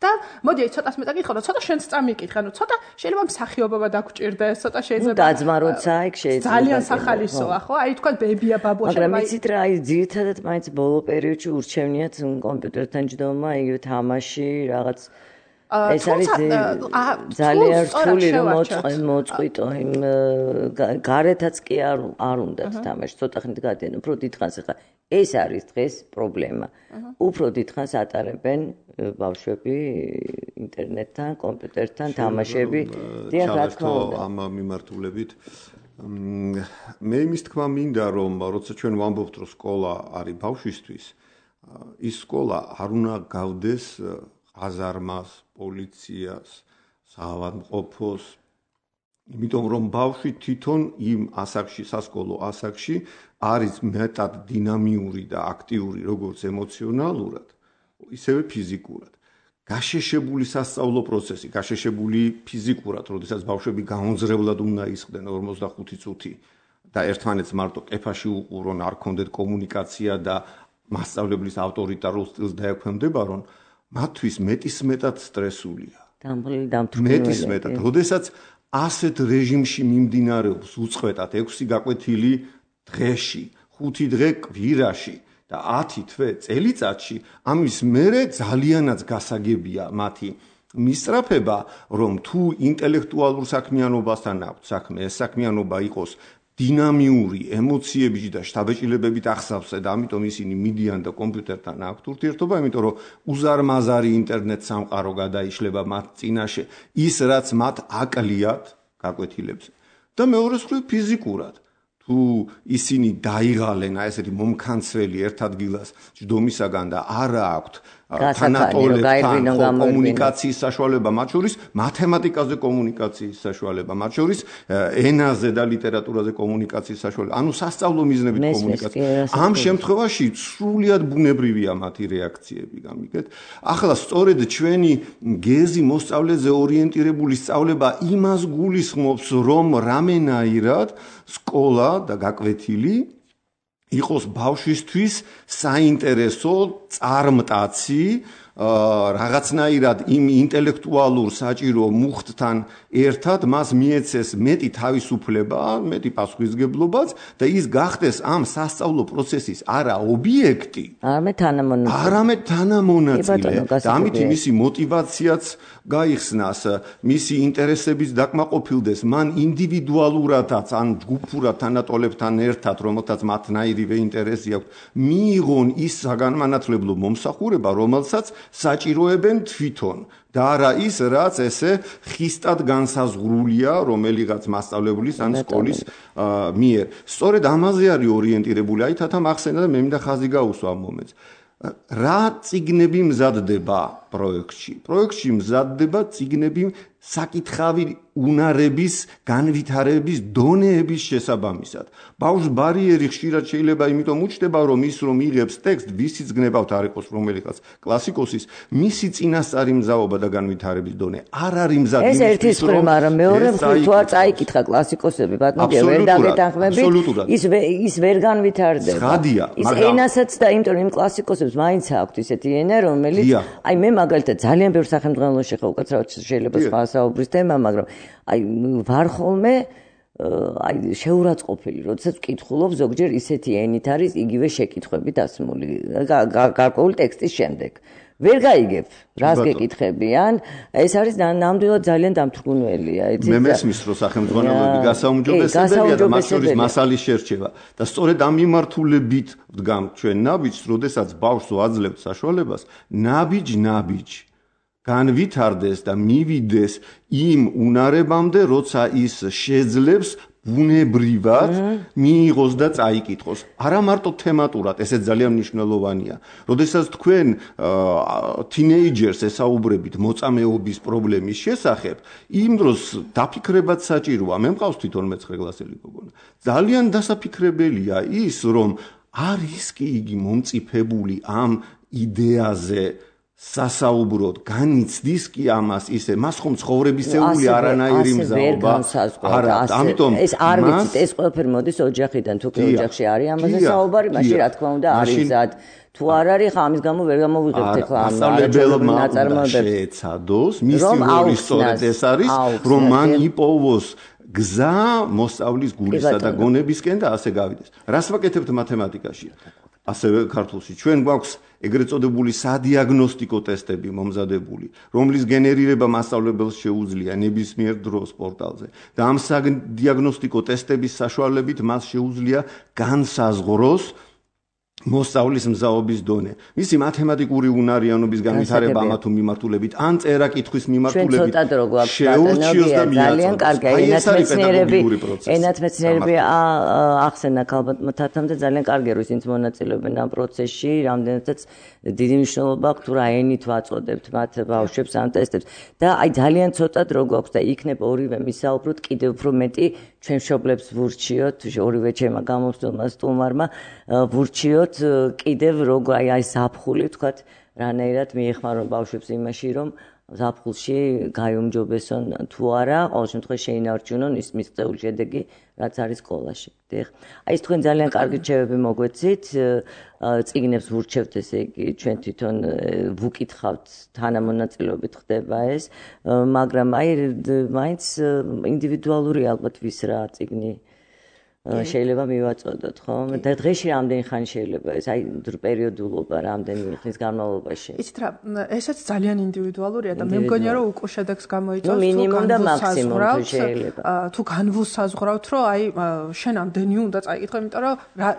და მოდი აი ცოტას მე წაკითხავ და ცოტა შენც წამიკითხე ანუ ცოტა შეიძლება მსახიობობა დაგჭირდეს ცოტა შეიძლება დაძმაროცა იქ შეიძლება ძალიან სახალისოა ხო აი თქვა ბებია ბაბუა მაგრამ იცით რა აი ძირითადად მაინც ბოლო პერიოდში ურჩევნიათ კომპიუტერთან ჯდომა იგივე თამაში რაღაც ეს არის ძალიან რთული რომ მოწყვიტო იმ გარეთაც კი არ უნდათ თამაში ცოტა ხნით გადიან უფრო დიდხანს ახლა ეს არის დღეს პრობლემა უფრო დიდხანს ატარებენ ბავშვები ინტერნეტთან კომპიუტერთან თამაშები დიახ რა თქმა უნდა ამ მიმართულებით მე იმის თქმა მინდა რომ როცა ჩვენ ვამბობთ რომ სკოლა არის ბავშვისთვის ის სკოლა არ უნდა გავდეს აზარმას, პოლიციას, საავადმყოფოს, იმიტომ რომ ბავშვი თვითონ იმ ასაკში, სასკოლო ასაკში არის მეტად დინამიური და აქტიური როგორც ემოციონალურად, ისევე ფიზიკურად. გაშეშებული სასწავლო პროცესი, გაშეშებული ფიზიკურად, როდესაც ბავშვები გაონძრებლად უნდა ისხდნენ 45 წუთი და ერთმანეთს მარტო კეფაში უყურონ, არ ქონდეთ კომუნიკაცია და მასწავლებლის ავტორიტარულ სტილს დაექვემდებარონ, მათთვის მეტისმეტად სტრესულია. მეტისმეტად. როდესაც ასეთ რეჟიმში მიმდინარეობს უწყვეტად 6 გაკვეთილი დღეში, 5 დღე კვირაში და 10 თვე წელიწადში, ამის მერე ძალიანაც გასაგებია მათი მისწრაფება, რომ თუ ინტელექტუალურ საქმიანობასთან აქვს საქმე, ეს საქმიანობა იყოს დინამიური ემოციებით და შთაბეჭდილებებით ახსავსე და ამიტომ ისინი მიდიან და კომპიუტერთან აქვთ ურთიერთობა, იმიტომ რომ უზარმაზარი ინტერნეტ სამყარო გადაიშლება მათ წინაშე, ის რაც მათ აკლიათ გაკვეთილებზე. და მეორე მხრივ ფიზიკურად. თუ ისინი დაიღალენ ესეთი მომქანცველი ერთ ადგილას ჯდომისაგან და არა აქვთ თანატოლებთან კომუნიკაციის საშუალება, მათ შორის მათემატიკაზე კომუნიკაციის საშუალება, მათ შორის ენაზე და ლიტერატურაზე კომუნიკაციის საშუალება, ანუ სასწავლო მიზნებით კომუნიკაცია. ამ შემთხვევაში სრულიად ბუნებრივია მათი რეაქციები, გამიგეთ? ახლა სწორედ ჩვენი გეზი მოსწავლეზე ორიენტირებული სწავლება იმას გულისხმობს, რომ რამენაირად სკოლა და გაკვეთილი იყოს ბავშვისთვის საინტერესო წარმტაცი რაღაცნაირად იმ ინტელექტუალურ საჭირო მუხტთან ერთად მას მიეცეს მეტი თავისუფლება, მეტი პასუხისგებლობაც და ის გახდეს ამ სასწავლო პროცესის არა ობიექტი, არამედ თანამონაწილე. და ამით მისი мотиваციაც გაიხსნას, მისი ინტერესების დაკმაყოფილდეს, მან ინდივიდუალურადაც ან ჯგუფურად თანატოლებთან ერთად, რომელთაც მათნაირივე ინტერესი აქვს, მიიღონ ის საგანმანათლებლო მომსახურება, რომელსაც საჭიროებენ თვითონ და არა ის, რაც ესე ხისტად განსაზღვრულია რომელიღაც მასწავლებლის ან სკოლის მიერ. სწორედ ამაზე არის ორიენტირებული. აი თათა მახსენა და მე მინდა ხაზი გაუსვა ამ მომენტს. რა წიგნები მზადდება პროექტში? პროექტში მზადდება წიგნები საკითხავი უნარების, განვითარების დონეების შესაბამისად. ბავშვს ბარიერი ხშირად შეიძლება იმიტომ უჩნდება, რომ ის რომ იღებს ტექსტ, ვისიც გნებავთ არ იყოს რომელიღაც კლასიკოსის, მისი წინასწარი მზაობა და განვითარების დონე არ არის მზად. ეს ერთის მხრივ, მაგრამ მეორე მხრივ თუ არ წაიკითხა კლასიკოსები, ბატონო, ვერ დაგეთანხმებით, ის ვერ განვითარდება. ის ენასაც და იმიტომ იმ კლასიკოსებს მაინც აქვთ ისეთი ენა, რომელიც აი მე მაგალითად ძალიან ბევრ სახელმძღვანელოში ხა უკაცრავად შეიძლება სხვა საუბრის თემა, მაგრამ აი ვარ ხოლმე აი შეურაცხყოფილი, როდესაც ვკითხულობ ზოგჯერ ისეთი ენით არის იგივე შეკითხვები დასმული გარკვეული ტექსტის შემდეგ. ვერ გაიგებ, რას გეკითხებიან, ეს არის ნამდვილად ძალიან დამთრგუნველია, იცით? მე მესმის, რომ სახელმძღვანელოები გასაუმჯობესებელია და მათ შორის მასალის შერჩევა. და სწორედ ამ მიმართულებით ვდგამთ ჩვენ ნაბიჯს, როდესაც ბავშვს ვაძლევთ საშუალებას, ნაბიჯ განვითარდეს და მივიდეს იმ უნარებამდე, როცა ის შეძლებს ბუნებრივად მიიღოს და წაიკითხოს. არა მარტო თემატურად, ესეც ძალიან მნიშვნელოვანია. როდესაც თქვენ თინეიჯერს ესაუბრებით მოწამეობის პრობლემის შესახებ, იმ დროს დაფიქრებაც საჭიროა. მე მყავს თვითონ მე-9 კლასელი გოგონა. ძალიან დასაფიქრებელია ის, რომ არის კი იგი მომწიფებული ამ იდეაზე სასაუბროდ, განიცდის კი ამას ისე, მას ხომ ცხოვრებისეული არანაირი მზაობა არ აქვს. ამიტომ ეს არ ვიცით, ეს ყველაფერი მოდის ოჯახიდან, თუ კი ოჯახში არის ამაზე საუბარი, მაშინ რა თქმა უნდა არის მზად. თუ არ არის, ხა ამის გამო ვერ გამოვიღებთ ახლა ამ ნაწარმოებებს. შეეცადოს, მისი როლი სწორედ ეს არის, რომ მან იპოვოს გზა მოსწავლის გულისა და გონებისკენ და ასე გავიდეს. რას ვაკეთებთ მათემატიკაში? ასევე ქართულში. ჩვენ გვაქვს ეგრეთ წოდებული სადიაგნოსტიკო ტესტები მომზადებული, რომლის გენერირება მასწავლებელს შეუძლია ნებისმიერ დროს პორტალზე. და ამ სადიაგნოსტიკო ტესტების საშუალებით მას შეუძლია განსაზღვროს მოსწავლის მზაობის დონე. მისი მათემატიკური უნარიანობის განვითარება ამა თუ მიმართულებით, ან წერა-კითხვის მიმართულებით შეურჩიოს და ძალიან კარგია. ენათმეცნიერები ახსენა ალბათ მათთან და ძალიან კარგია, რომ ისინი მონაწილეობენ ამ პროცესში, რამდენადაც დიდი მნიშვნელობა აქვს თუ რა ენით ვაწოდებთ მათ ბავშვებს ამ ტესტებს. და აი ძალიან ცოტა დრო გვაქვს და იქნებ ორივე მისაუბროთ კიდევ უფრო მეტი ჩვენ მშობლებს ვურჩიოთ, ორივე ჩემმა გამომცემლმა სტუმარმა ვურჩიოთ კიდევ როგორ აი ზაფხული თქვათ რანაირად მიეხმარონ ბავშვებს იმაში რომ ზაფხულში გაიუმჯობესონ თუ არა ყოველ შემთხვევაში შეინარჩუნონ ის მიღწეული შედეგი რაც არის სკოლაში. აი ეს თქვენ ძალიან კარგი რჩევები მოგვეცით, წიგნებს ვურჩევთ ესე იგი ჩვენ თვითონ ვუკითხავთ თანამონაწილეობით ხდება ეს, მაგრამ აი მაინც ინდივიდუალური ალბათ ვის რა წიგნი შეიძლება მივაწოდოთ, ხო? და დღეში რამდენი ხანი შეიძლება ეს აი პერიოდულობა რამდენი ხნის განმავლობაში? იცით რა, ესეც ძალიან ინდივიდუალურია და მე მგონია რომ უკვე შედეგს გამოიწვევს მინიმუმ და მაქსიმუმ შეიძლება. თუ განვუსაზღვრავთ, რომ აი შენ ამდენი უნდა წაიკითხო, იმიტომ რომ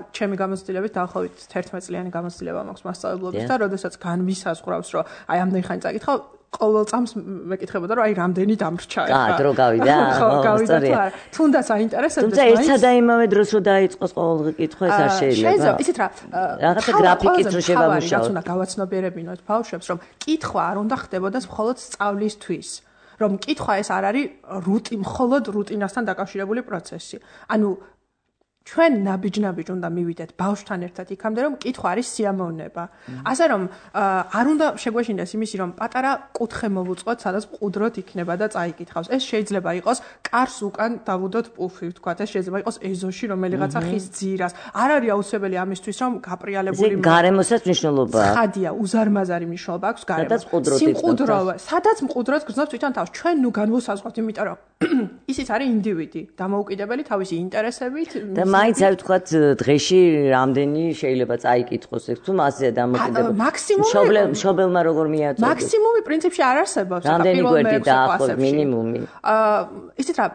ჩემი გამოცდილებით დაახლოებით 11 წლიანი გამოცდილება მაქვს მასწავლებლობის და როდესაც განვისაზღვრავს, რომ აი ამდენი ხანი წაიკითხო ყოველ წამს მეკითხებოდა რომ აი რამდენი დამრჩა ახლა. დრო გავიდა. სწორია. თუნდაც აინტერესებდეს. თუმცა ერთსა და იმავე დროს რომ დაიწყოს ყოველდღე კითხვა ეს არ შეიძლება. შეიძლება, იცით რა. რაღაცა გრაფიკით რო შევამუშავოთ. რაც უნდა გავაცნობიერებინოთ ბავშვებს, რომ კითხვა არ უნდა ხდებოდეს მხოლოდ სწავლისთვის. რომ კითხვა ეს არ არის მხოლოდ რუტინასთან დაკავშირებული პროცესი. ანუ ჩვენ ნაბიჯ უნდა მივიდეთ ბავშვთან ერთად იქამდე რომ კითხვა არის სიამოვნება. ასე რომ არ უნდა შეგვეშინდეს იმისი რომ პატარა კუთხე მოვუწყოთ, სადაც მყუდროდ იქნება და წაიკითხავს. ეს შეიძლება იყოს კარს უკან დავუდოთ პუფი, ვთქვათ, ეს შეიძლება იყოს ეზოში რომელიღაცა ხის ძირას. არ არის აუცილებელი ამისთვის რომ გაპრიალებული გარემოსაც მნიშვნელობა აქვს. ხადია, უზარმაზარი მნიშვნელობა აქვს გარემოს. სიმყუდროა, სადაც მყუდროდ გრძნობს თვითონ თავს. ჩვენ ნუ განვუსაზღვრავთ, იმიტომ რომ ისიც არის ინდივიდი, დამოუკიდებელი თავისი ინტერესებით. მაინც აი ვთქვათ დღეში რამდენი შეიძლება წაიკითხოს ეს თუ მასზე დამოკიდებული. მაქსიმუმი მშობელმა როგორ მიაწოდოს? მაქსიმუმი პრინციპში არ არსებობს. რამდენი გვერდი დაახლოებით მინიმუმი? ისიც რა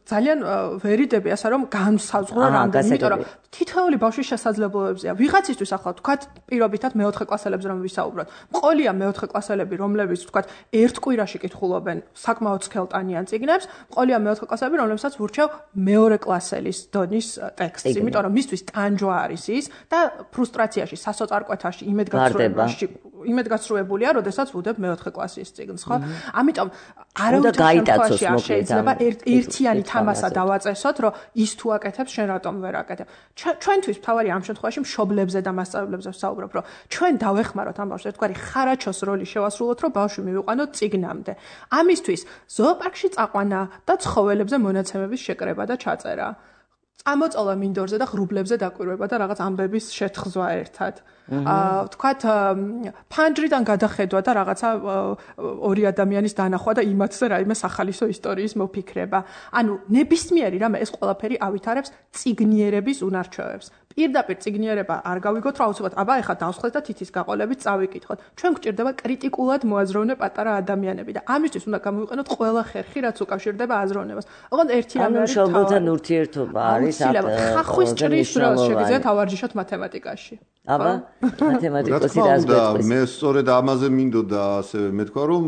ძალიან ვერიდები ასე რომ განსაზღვრო რამდენი, იმიტომ რომ თითოეული ბავშვის შესაძლებლობებზეა. ვიღაცისთვის ახლა თქვათ პირობითად მეოთხე კლასელებზე რომ ვისაუბროთ. მყოლია მეოთხე კლასელები, რომლებიც თქვათ ერთ კვირაში კითხულობენ საკმაოდ სქელტანიან წიგნებს, მყოლია მეოთხე კლასელები, რომლებსაც ვურჩევ მეორე კლასელის დონის ტექსტს, იმიტომ რომ მისთვის ტანჯვა არის ის და ფრუსტრაციაში, სასოწარკვეთაში, იმედგაცრუებულია, როდესაც ვუდებ მეოთხე კლასის წიგნს, ხო? ამიტომ არავითარ შემთხვევაში არ შეიძლება ერთიანი თამასა დავაწესოთ, რომ ის თუ აკეთებს, შენ რატომ ვერ აკეთებ. ჩვენთვის მთავარი ამ შემთხვევაში მშობლებზე და მასწავლებლებზე ვსაუბრობ, რომ ჩვენ დავეხმაროთ ამ ბავშვს ერთგვარი ხარაჩოს როლი შევასრულოთ, რომ ბავშვი მივიყვანოთ წიგნამდე. ამისთვის ზოოპარკში წაყვანა და ცხოველებზე მონაცემების შეკრება და ჩაწერა. წამოწოლა მინდორზე და ღრუბლებზე დაკვირვება და რაღაც ამბების შეთხზვა ერთად. ვთქვათ, ფანჯრიდან გადახედვა და რაღაცა ორი ადამიანის დანახვა და იმათზე რაიმე სახალისო ისტორიის მოფიქრება. ანუ ნებისმიერი რამე ეს ყველაფერი ავითარებს წიგნიერების უნარჩვევებს. პირდაპირ წიგნიერება არ გავიგოთ, რომ აუცილებლად აბა ეხლა დავსხლეთ და თითის გაყოლებით წავიკითხოთ. ჩვენ გვჭირდება კრიტიკულად მოაზროვნე პატარა ადამიანები და ამისთვის უნდა გამოვიყენოთ ყველა ხერხი, რაც უკავშირდება აზროვნებას. ოღონდ ერთი რამე არის თავი. მშობელთან ურთიერთობა არის ხახვის ჭრის დროს შეგიძლიათ ავარჯიშოთ მათემატიკაში. აბა მათემატიკოსი რაზეც მე სწორედ ამაზე მინდოდა ასევე მეთქვა რომ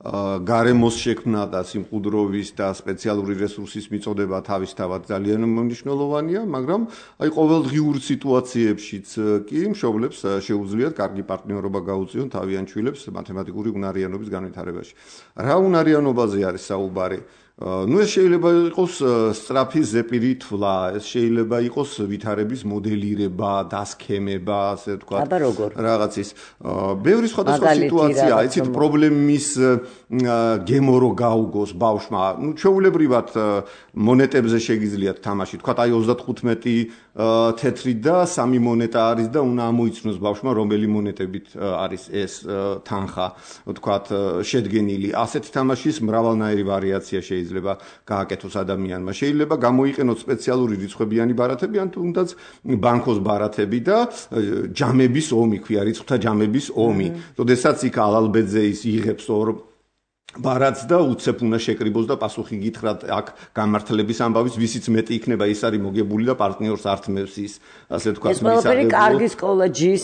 გარემოს შექმნა და სიმყუდროვის და სპეციალური რესურსის მიწოდება თავისთავად ძალიან მნიშვნელოვანია, მაგრამ აი ყოველდღიურ სიტუაციებშიც კი მშობლებს შეუძლიათ კარგი პარტნიორობა გაუწიონ თავიანთ შვილებს მათემატიკური უნარიანობის განვითარებაში. რა უნარიანობაზე არის საუბარი? Ну ეს შეიძლება იყოს სწრაფი ზეპირი თვლა, ეს შეიძლება იყოს ვითარების მოდელირება, დასქემება, ასე ვთქვათ. აბა როგორ? რაღაცის. ბევრი სხვადასხვა სიტუაციაა, იცით, პრობლემის გემო რო გაუგოს ბავშვმა. Ну ჩვეულებრივად მონეტებზე შეგიძლიათ თამაში. ვთქვათ, აი 35 თეთრი და 3 მონეტა არის და უნდა ამოიცნოს ბავშვმა რომელი მონეტებით არის ეს თანხა, ვთქვათ, შედგენილი. ასეთი თამაშის მრავალნაირი ვარიაცია შეიძლება შეიძლება გააკეთოს ადამიანმა. შეიძლება გამოიყენოს სპეციალური რიცხვებიანი ბარათები, ან თუნდაც ბანკოს ბარათები და ჯამების ომი, ქვია რიცხვთა ჯამების ომი. როდესაც იქ ალალბეძე ის იღებს ორ ბარათს და უცებ უნდა შეკრიბოს და პასუხი გითხრათ აქ გამართლების ამბავის, ვისიც მეტი იქნება, ის არის მოგებული და პარტნიორს ართმევს ის, ასე თქვა, მისაღებო. ეს ყველაფერი კარგი სკოლა ჯის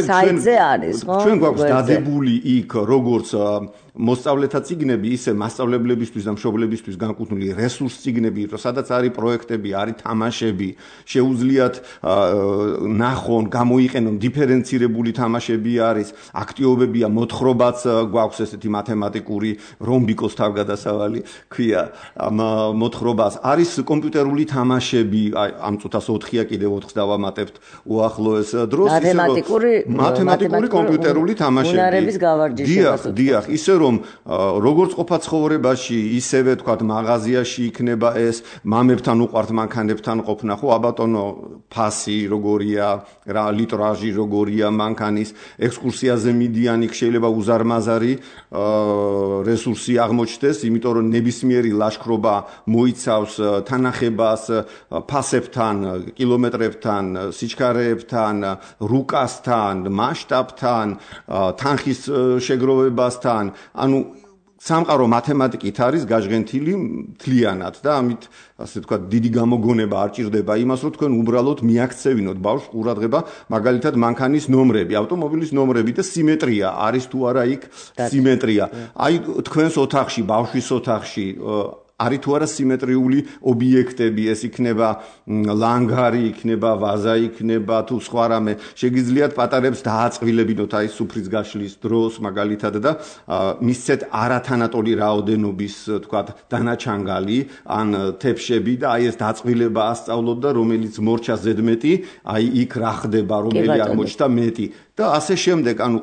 საიტზე არის, ხო? ჩვენ გვაქვს დადებული იქ როგორც მოსწავლეთა წიგნები, ისე მასწავლებლებისთვის და მშობლებისთვის განკუთვნილი რესურს წიგნები, სადაც არის პროექტები, არის თამაშები, შეუძლიათ ნახონ, გამოიყენონ დიფერენცირებული თამაშები არის, აქტივობებია, მოთხრობაც გვაქვს ესეთი მათემატიკური რომბიკოს თავგადასავალი, ქვია, მოთხრობას არის კომპიუტერული თამაშები, ამ წუთას 4-ია კიდევ 4-ს დავამატებთ უახლოეს დროს, მათემატიკური კომპიუტერული თამაშები. უნარების გავარჯიშება. დიახ, ისე რომ როგორც ყოფა ცხოვრებაში, ისევე თქვათ მაღაზიაში იქნება ეს მამებთან უყვართ მანქანებთან ყოფნა, ხო, აბატონო, ფასი როგორია, რა ლიტრაჟი როგორია მანქანის, ექსკურსიაზე მიდიან, იქ შეიძლება უზარმაზარი რესურსი აღმოჩნდეს, იმიტომ რომ ნებისმიერი ლაშქრობა მოიცავს თანახებას ფასებთან, კილომეტრებთან, სიჩქარეებთან, რუკასთან, მასშტაბთან, თანხის შეგროვებასთან, ანუ სამყარო მათემატიკით არის გაჟღენთილი მთლიანად და ამით ასე ვთქვათ დიდი გამოგონება არ ჭირდება იმას რომ თქვენ უბრალოდ მიაქცევინოთ ბავშვს ყურადღება მაგალითად მანქანის ნომრები, ავტომობილის ნომრები და სიმეტრია არის თუ არა იქ სიმეტრია. აი თქვენს ოთახში, ბავშვის ოთახში არის თუ არა სიმეტრიული ობიექტები, ეს იქნება ლანგარი, იქნება ვაზა, იქნება თუ სხვა რამე. შეგიძლიათ პატარებს დააწყვილებინოთ აი სუფრის გაშლის დროს მაგალითად და მისცეთ არათანატოლი რაოდენობის თქვათ დანაჩანგალი ან თეფშები და აი ეს დაწყვილება ასწავლოთ და რომელიც მორჩა ზედმეტი, აი იქ რა ხდება, რომელი აღმოჩნდა მეტი და ასე შემდეგ, ანუ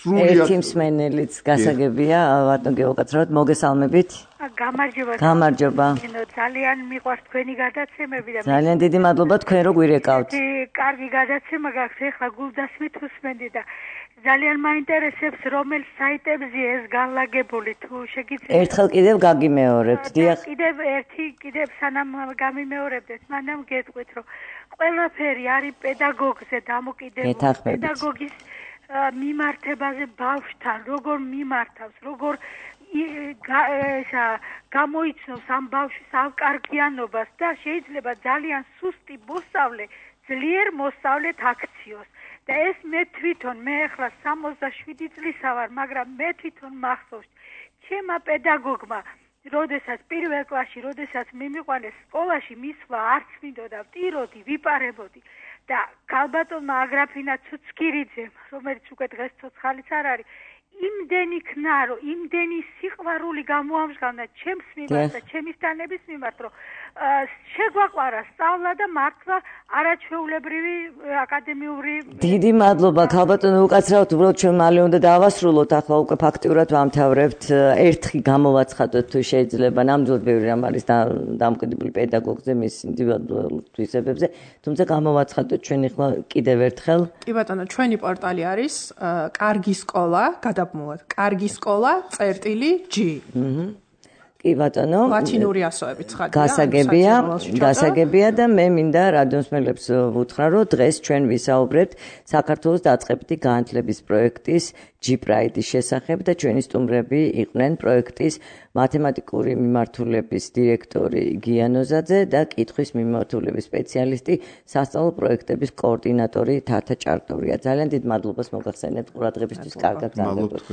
ერთი მსმენელიც გასაგებია, ბატონ გეოგაცრავთ, მოგესალმებით. გამარჯობა. ძალიან მიყვარს თქვენი გადაცემები და ძალიან დიდი მადლობა თქვენ რო გვირეკავთ. კარგი გადაცემა გაქვს, ეხლა გულდასმით უსმენდი და ძალიან მაინტერესებს რომელ საიტებზე ეს განლაგებული თუ შეგიძლიათ. ერთხელ კიდევ გაგიმეორებთ, დიახ. კიდევ სანამ გამიმეორებდეთ, მანამ გეტყვით, რომ ყველაფერი არის პედაგოგზე დამოკიდებული. პედაგოგის მიმართებაზე ბავშვთან, როგორ მიმართავს, როგორ გამოიცნობს ამ ბავშვის ავკარგიანობას და შეიძლება ძალიან სუსტი მოსწავლე ძლიერ მოსწავლეთ აქციოს. და ეს მე თვითონ, მე ახლა 67 წლისა ვარ, მაგრამ მე თვითონ მახსოვს, ჩემმა პედაგოგმა, როდესაც პირველ კლასში, როდესაც მიმიყვანეს სკოლაში მისვლა არც მინდოდა, ვტიროდი, ვიპარებოდი. და ქალბატონმა აგრაფინა ცუცქირიძემ, რომელიც უკვე დღეს ცოცხალიც არ არის, იმდენი ქნარო, იმდენი სიყვარული გამოამჟღავნა ჩემს მიმართ და ჩემი სტანების მიმართ, რომ შეგვაყვარა სწავლა და მართლა არაჩვეულებრივი აკადემიური. დიდი მადლობა ქალბატონო, უკაცრავთ, უბრალოდ ჩვენ მალე უნდა დავასრულოთ, ახლა უკვე ფაქტიურად ვამთავრებთ. ერთხი გამოვაცხადოთ თუ შეიძლება, ნამდვილად ბევრი რამ არის დამოკიდებული პედაგოგზე, მის ინდივიდუალურ თვისებებზე, თუმცა გამოვაცხადოთ ჩვენ ახლა კიდევ ერთხელ. კი ბატონო, ჩვენი პორტალი არის კარგი სკოლა, გადაბმულად, კარგი სკოლა, წერტილი G. კი ბატონო, ლათინური ასოებით ცხადია. გასაგებია და მე მინდა რადიოსმენელებს ვუთხრა, რომ დღეს ჩვენ ვისაუბრებთ საქართველოს დაწყებითი განათლების პროექტის G-Pride-ის შესახებ და ჩვენი სტუმრები იყვნენ პროექტის მათემატიკური მიმართულების დირექტორი გია ნოზაძე და კითხვის მიმართულების სპეციალისტი, სასწავლო პროექტების კოორდინატორი თათა ჭარტურია. ძალიან დიდ მადლობას მოგახსენებთ ყურადღებისთვის, კარგად გრძელდებოდ.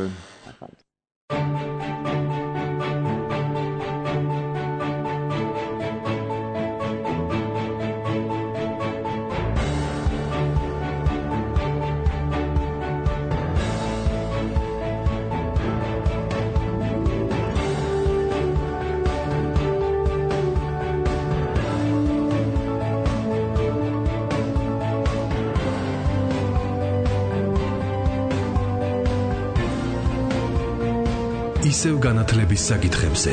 ისევ განათლების საკითხებზე